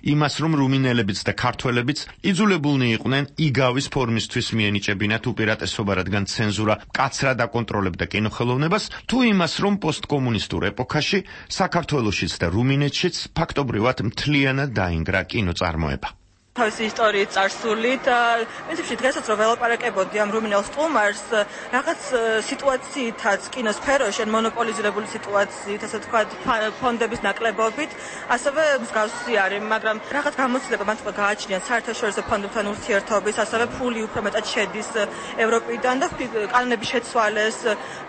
იმას, რომ რუმინელებიც და ქართველებიც იძულებულნი იყვნენ იგავის ფორმისთვის მიენიჭებინათ უპირატესობა, რადგან ცენზურა მკაცრად აკონტროლებდა კინოხელოვნებას, თუ იმას, რომ პოსტკომუნისტურ ეპოქაში საქართველოშიც და რუმინეთშიც ფაქტობრივად მთლიანად დაინგრა კინოწარმოება. თავისი ისტორიის წარსული და პრინციპში დღესაც რომ ველაპარაკებოდი ამ რუმინელ სტუმარს რაღაც სიტუაციითაც კინოსფეროში ან მონოპოლიზირებული სიტუაციით, ასე ვთქვათ, ფონდების ნაკლებობით, ასევე მსგავსი არის, მაგრამ რაღაც გამოცდილება მათ უკვე გააჩნიათ საერთაშორისო ფონდებთან ურთიერთობის, ასევე ფული უფრო მეტად შედის ევროპიდან და კანონების შეცვალეს,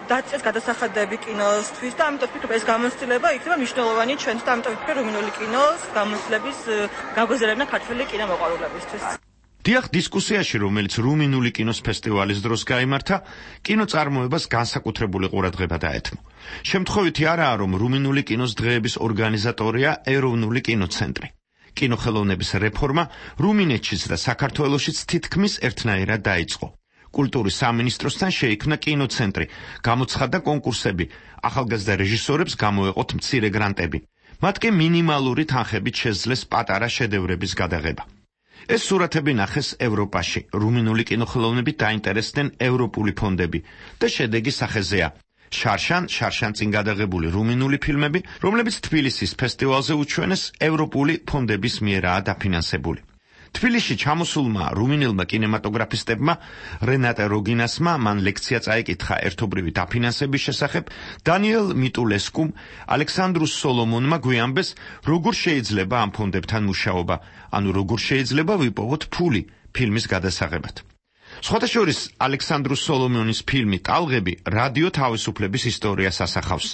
დაწყეს გადასახადები კინოსთვის და ამიტომ ვფიქრობ, ეს გამოცდილება იქნება მნიშვნელოვანი ჩვენთვის და ამიტომ ვფიქრობ, რუმინული კინოს გამოცდილების გაგვეზრებნა ქართული კინო დიახ, დისკუსიაში, რომელიც რუმინული კინოს ფესტივალის დროს გაიმართა, კინოწარმოებას განსაკუთრებული ყურადღება დაეთმო. შემთხვევითი არაა, რომ რუმინული კინოს დღეების ორგანიზატორია ეროვნული კინოცენტრი. კინოხელოვნების რეფორმა რუმინეთშიც და საქართველოშიც თითქმის ერთნაირად დაიწყო. კულტურის სამინისტროსთან შეიქმნა კინოცენტრი, გამოცხადდა კონკურსები, ახალგაზრდა რეჟისორებს გამოეყოთ მცირე გრანტები. მათ კი მინიმალური თანხებით შეძლეს პატარა შედევრების გადაღება. ეს სურათები ნახეს ევროპაში, რუმინული კინოხელოვნებით დაინტერესდნენ ევროპული ფონდები და შედეგი სახეზეა. შარშან წინ გადაღებული რუმინული ფილმები, რომლებიც თბილისის ფესტივალზე უჩვენეს, ევროპული ფონდების მიერაა დაფინანსებული. თბილისში ჩამოსულმა რუმინელმა კინემატოგრაფისტებმა რენატე როგინასმა მან ლექცია წაიკითხა ერთობრივი დაფინანსების შესახებ, დანიელ მიტულესკუმ, ალექსანდრუ სოლომონმა გვიამბეს, როგორ შეიძლება ამ ფონდებთან მუშაობა, ანუ როგორ შეიძლება ვიპოვოთ ფული ფილმის გადასაღებად. სხვათა შორის ალექსანდრუ სოლომონის ფილმი ტალღები რადიო თავისუფლების ისტორიას ასახავს.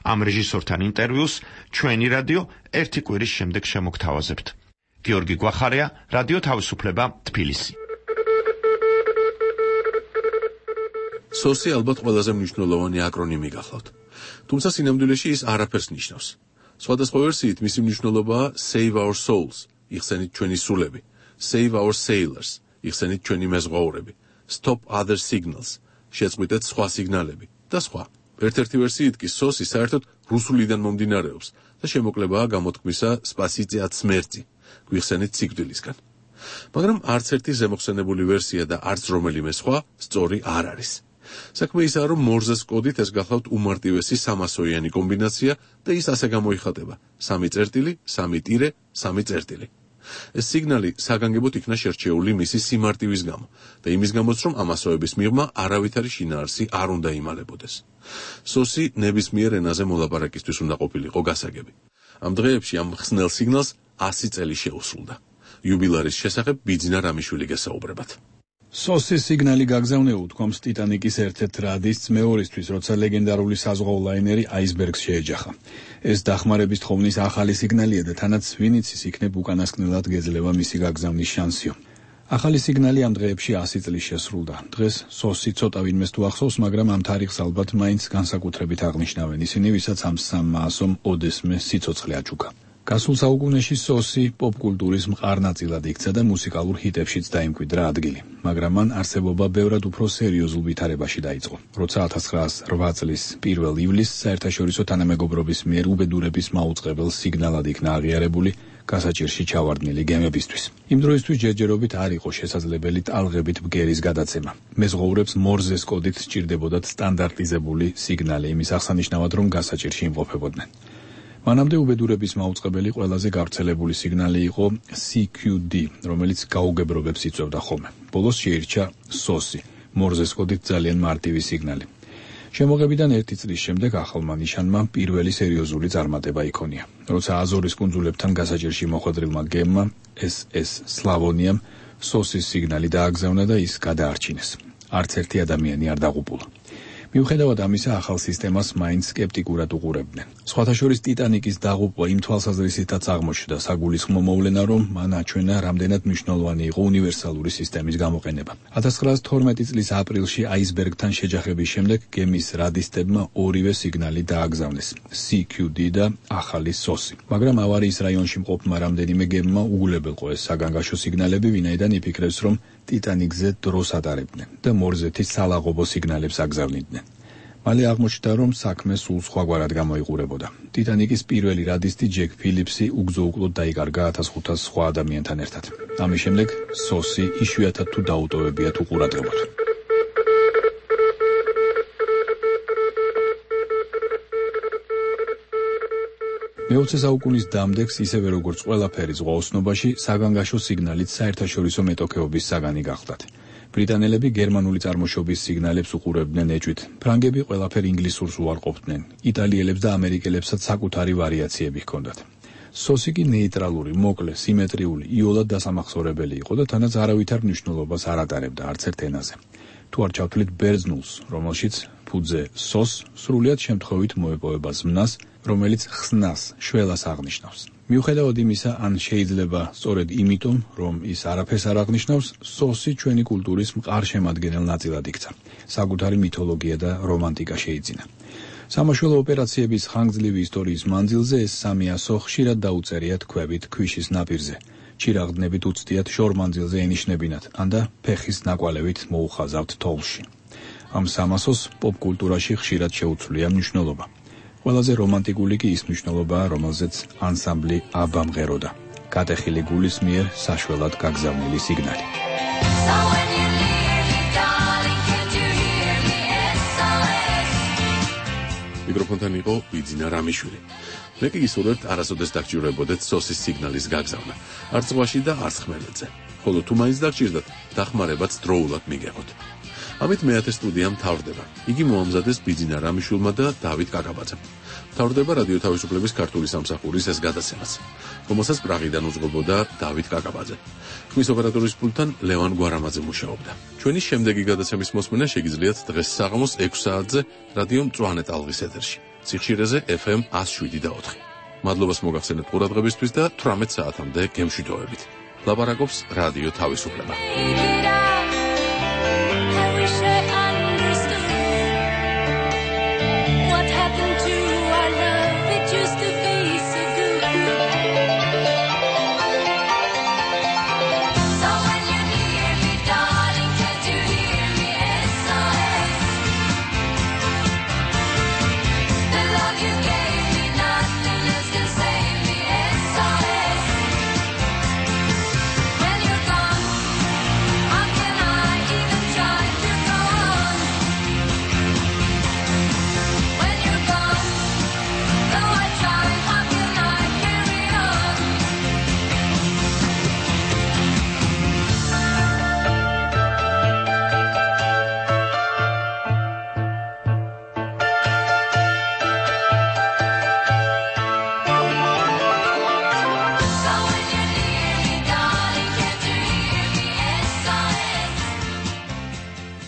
ამ რეჟისორთან ინტერვიუს ჩვენი რადიო ერთი კვირის შემდეგ შემოგთავაზებთ. გიორგი გვახარია, რადიო თავისუფლება, თბილისი. სოსი ალბათ ყველაზე მნიშვნელოვანი აკრონიმი გახლავთ. თუმცა სინამდვილეში ის არაფერს ნიშნავს. სხვადასხვა ვერსიით მისი მნიშვნელობაა Save Our Souls, იხსენით ჩვენი სულები, Save Our Sailors, იხსენით ჩვენი მეზღვაურები, Stop Other Signals, შეწყვიტეთ სხვა სიგნალები და სხვა. ერთ-ერთი ვერსიით კი სოსი საერთოდ რუსულიდან მომდინარეობს და შემოკლებაა გამოთქმისა სპასიცე от смерти, გვიხსენით სიკვდილისგან. მაგრამ არც ერთი ზემოხსენებული ვერსია და არც რომელიმე სხვა სწორი არ არის. საქმე ისაა, რომ მორზეს კოდით ეს გახლავთ უმარტივესი 300-იანი კომბინაცია და ის ასე გამოიხატება: 3.3.3. ეს სიგნალი საგანგებოდ იქნა შერჩეული მისი სიმარტივის გამო და იმის გამოც, რომ ამასოების მიღმა არავითარი შინაარსი არ უნდა იმალებოდეს. სოსი ნებისმიერ ენაზე მოლაპარაკისთვის უნდა ყოფილიყო გასაგები. ამ დღეებში ამ ხსნელ სიგნალს 100 წელი შეუსრულდა. იუბილარის შესახებ ბიძინა რამიშვილი გესაუბრებათ. სოსის სიგნალი გაგზავნე უთქვამს ტიტანიკის ერთ-ერთ რადისტს მეორისთვის, როცა ლეგენდარული საზღვაო ლაინერი აისბერგს შეეჯახა. ეს დახმარების თხოვნის ახალი სიგნალია და თანაც ვინიც ის იქნებ უკანასკნელად გეძლევა მისი გაგზავნის შანსიო. ახალი სიგნალი ამ დღეებში 100 წლის შესრულდა. დღეს სოსი ცოტა ვინმეს თუ ახსოვს, მაგრამ ამ თარიღს ალბათ მაინც განსაკუთრებით აღნიშნავენ ისინი, ვისაც ამ 300-ომ ოდესმე სიცოცხლე აჩუქა. გასულ საუკუნეში სოსი პოპკულტურის მყარ ნაწილად იქცა და მუსიკალურ ჰიტებშიც დაიმკვიდრა ადგილი, მაგრამ მან არსებობა ბევრად უფრო სერიოზულ ვითარებაში დაიწყო. როცა 1908 წლის 1 ივლისს საერთაშორისო თანამეგობრობის მიერ უბედურების მაუწყებელ სიგნალად იქნა აღიარებული გასაჭირში ჩავარდნილი გემებისთვის. იმ დროისთვის ჯერჯერობით არ იყო შესაძლებელი ტალღებით ბგერის გადაცემა. მეზღვაურებს მორზეს კოდით სჭირდებოდათ სტანდარტიზებული სიგნალი, იმის აღსანიშნავად, რომ გასაჭირში იმყოფებოდნენ. მანამდე უბედურების მაუწყებელი ყველაზე გავრცელებული სიგნალი იყო CQD, რომელიც გაუგებრობებს იწვევდა ხოლმე. ბოლოს შეირჩა სოსი, მორზეს კოდით ძალიან მარტივი სიგნალი. შემოღებიდან 1 წლის შემდეგ ახალმა ნიშანმა პირველი სერიოზული წარმატება იქონია. როცა აზორის კუნძულებთან გასაჭირში მოხვედრილმა გემმა SS სლავონიამ სოსის სიგნალი დააგზავნა და ის გადაარჩინეს. არც ერთი ადამიანი არ დაღუპულა. მიუხედავად ამისა, ახალ სისტემას მაინც სკეპტიკურად უყურებდნენ. სხვათა შორის ტიტანიკის დაღუპვა იმ თვალსაზრისითაც აღმოჩნდა საგულისხმო მოვლენა, რომ მან აჩვენა, რამდენად მნიშვნელოვანი იყო უნივერსალური სისტემის გამოყენება. 1912 წლის აპრილში აისბერგთან შეჯახების შემდეგ გემის რადისტებმა ორივე სიგნალი დააგზავნეს, CQD და ახალი სოსი. მაგრამ ავარიის რაიონში მყოფმა რამდენიმე გემმა უგულებელყო ეს საგანგაშო სიგნალები, ვინაიდან იფიქრებს, რომ ტიტანიკზე დროს ატარებდნენ და მორზეთის სალაღობო სიგნალებს აგზავნიდნენ. მალე აღმოჩნდა, რომ საქმე სულ სხვაგვარად გამოიყურებოდა. ტიტანიკის პირველი რადისტი ჯეკ ფილიპსი უგზო-უკლოდ დაიკარგა 1500 სხვა ადამიანთან ერთად. ამის შემდეგ სოსი იშვიათად თუ დაუტოვებიათ უყურადღებოდ. მე-20 საუკუნის დამდეგს, ისევე როგორც ყველაფერი ზღვაოსნობაში, საგანგაშო სიგნალით საერთაშორისო მეტოქეობის საგანი გახდათ. ბრიტანელები გერმანული წარმოშობის სიგნალებს უყურებდნენ ეჭვით, ფრანგები ყველაფერ ინგლისურს უარყოფდნენ, იტალიელებს და ამერიკელებსაც საკუთარი ვარიაციები ჰქონდათ. სოსი კი ნეიტრალური, მოკლე, სიმეტრიული, იოლად დასამახსოვრებელი იყო და თანაც არავითარ მნიშვნელობას არ ატარებდა არც ერთ ენაზე. თუ არ ჩავთვლით ბერძნულს, რომელშიც ფუძე სოს სრულიად შემთხვევით მოეპოვება ზმნას, რომელიც ხსნას, შველას აღნიშნავს. მიუხედავად იმისა, ან შეიძლება სწორედ იმიტომ, რომ ის არაფერს არ აღნიშნავს, სოსი ჩვენი კულტურის მყარ შემადგენელ ნაწილად იქცა. საკუთარი მითოლოგია და რომანტიკა შეიძინა. სამაშველო ოპერაციების ხანგრძლივი ისტორიის მანძილზე ეს სამი ასო ხშირად დაუწერიათ ქვევით ქვიშის ნაპირზე. ჩირაღდნებით უცდიათ შორმანძილზე ენიშნებინათ, ან და ფეხის ნაკვალევით მოუხაზავთ თოვლში. ამ სამასოს პოპკულტურაში ხშირად შეუცვლია მნიშვნელობა. ყველაზე რომანტიკული კი ის მნიშვნელობაა, რომელზეც ანსამბლი აბა მღეროდა. გატეხილი გულის მიერ საშველად გაგზავნილი სიგნალი. მიკროფონთან იყო ბიძინა რამიშვილი. მე კი გისურვებთ არასოდეს დაგჭირვებოდეთ სოსის სიგნალის გაგზავნა, არც ზღვაში და არც ხმელეთზე. ხოლო თუ მაინც დაგჭირდათ, დახმარებაც დროულად მიგეღოთ. ამით მე-10 სტუდია მთავრდება. იგი მოამზადეს ბიძინა რამიშვილმა და დავით კაკაბაძემ. მთავრდება რადიო თავისუფლების ქართული სამსახურის ეს გადაცემაც, რომელსაც პრაღიდან უძღვებოდა დავით კაკაბაძე. ხმის ოპერატორის პულტთან ლევან გვარამაძე მუშაობდა. ჩვენი შემდეგი გადაცემის მოსმენა შეგიძლიათ დღეს საღამოს 6 საათზე რადიო მწვანე ტალღის ეთერში, სიხშირეზე FM 107.4. მადლობას მოგახსენებთ ყურადღებისთვის და 18 საათამდე გემშვიდობებით. ლაპარაკობს რადიო თავისუფლება.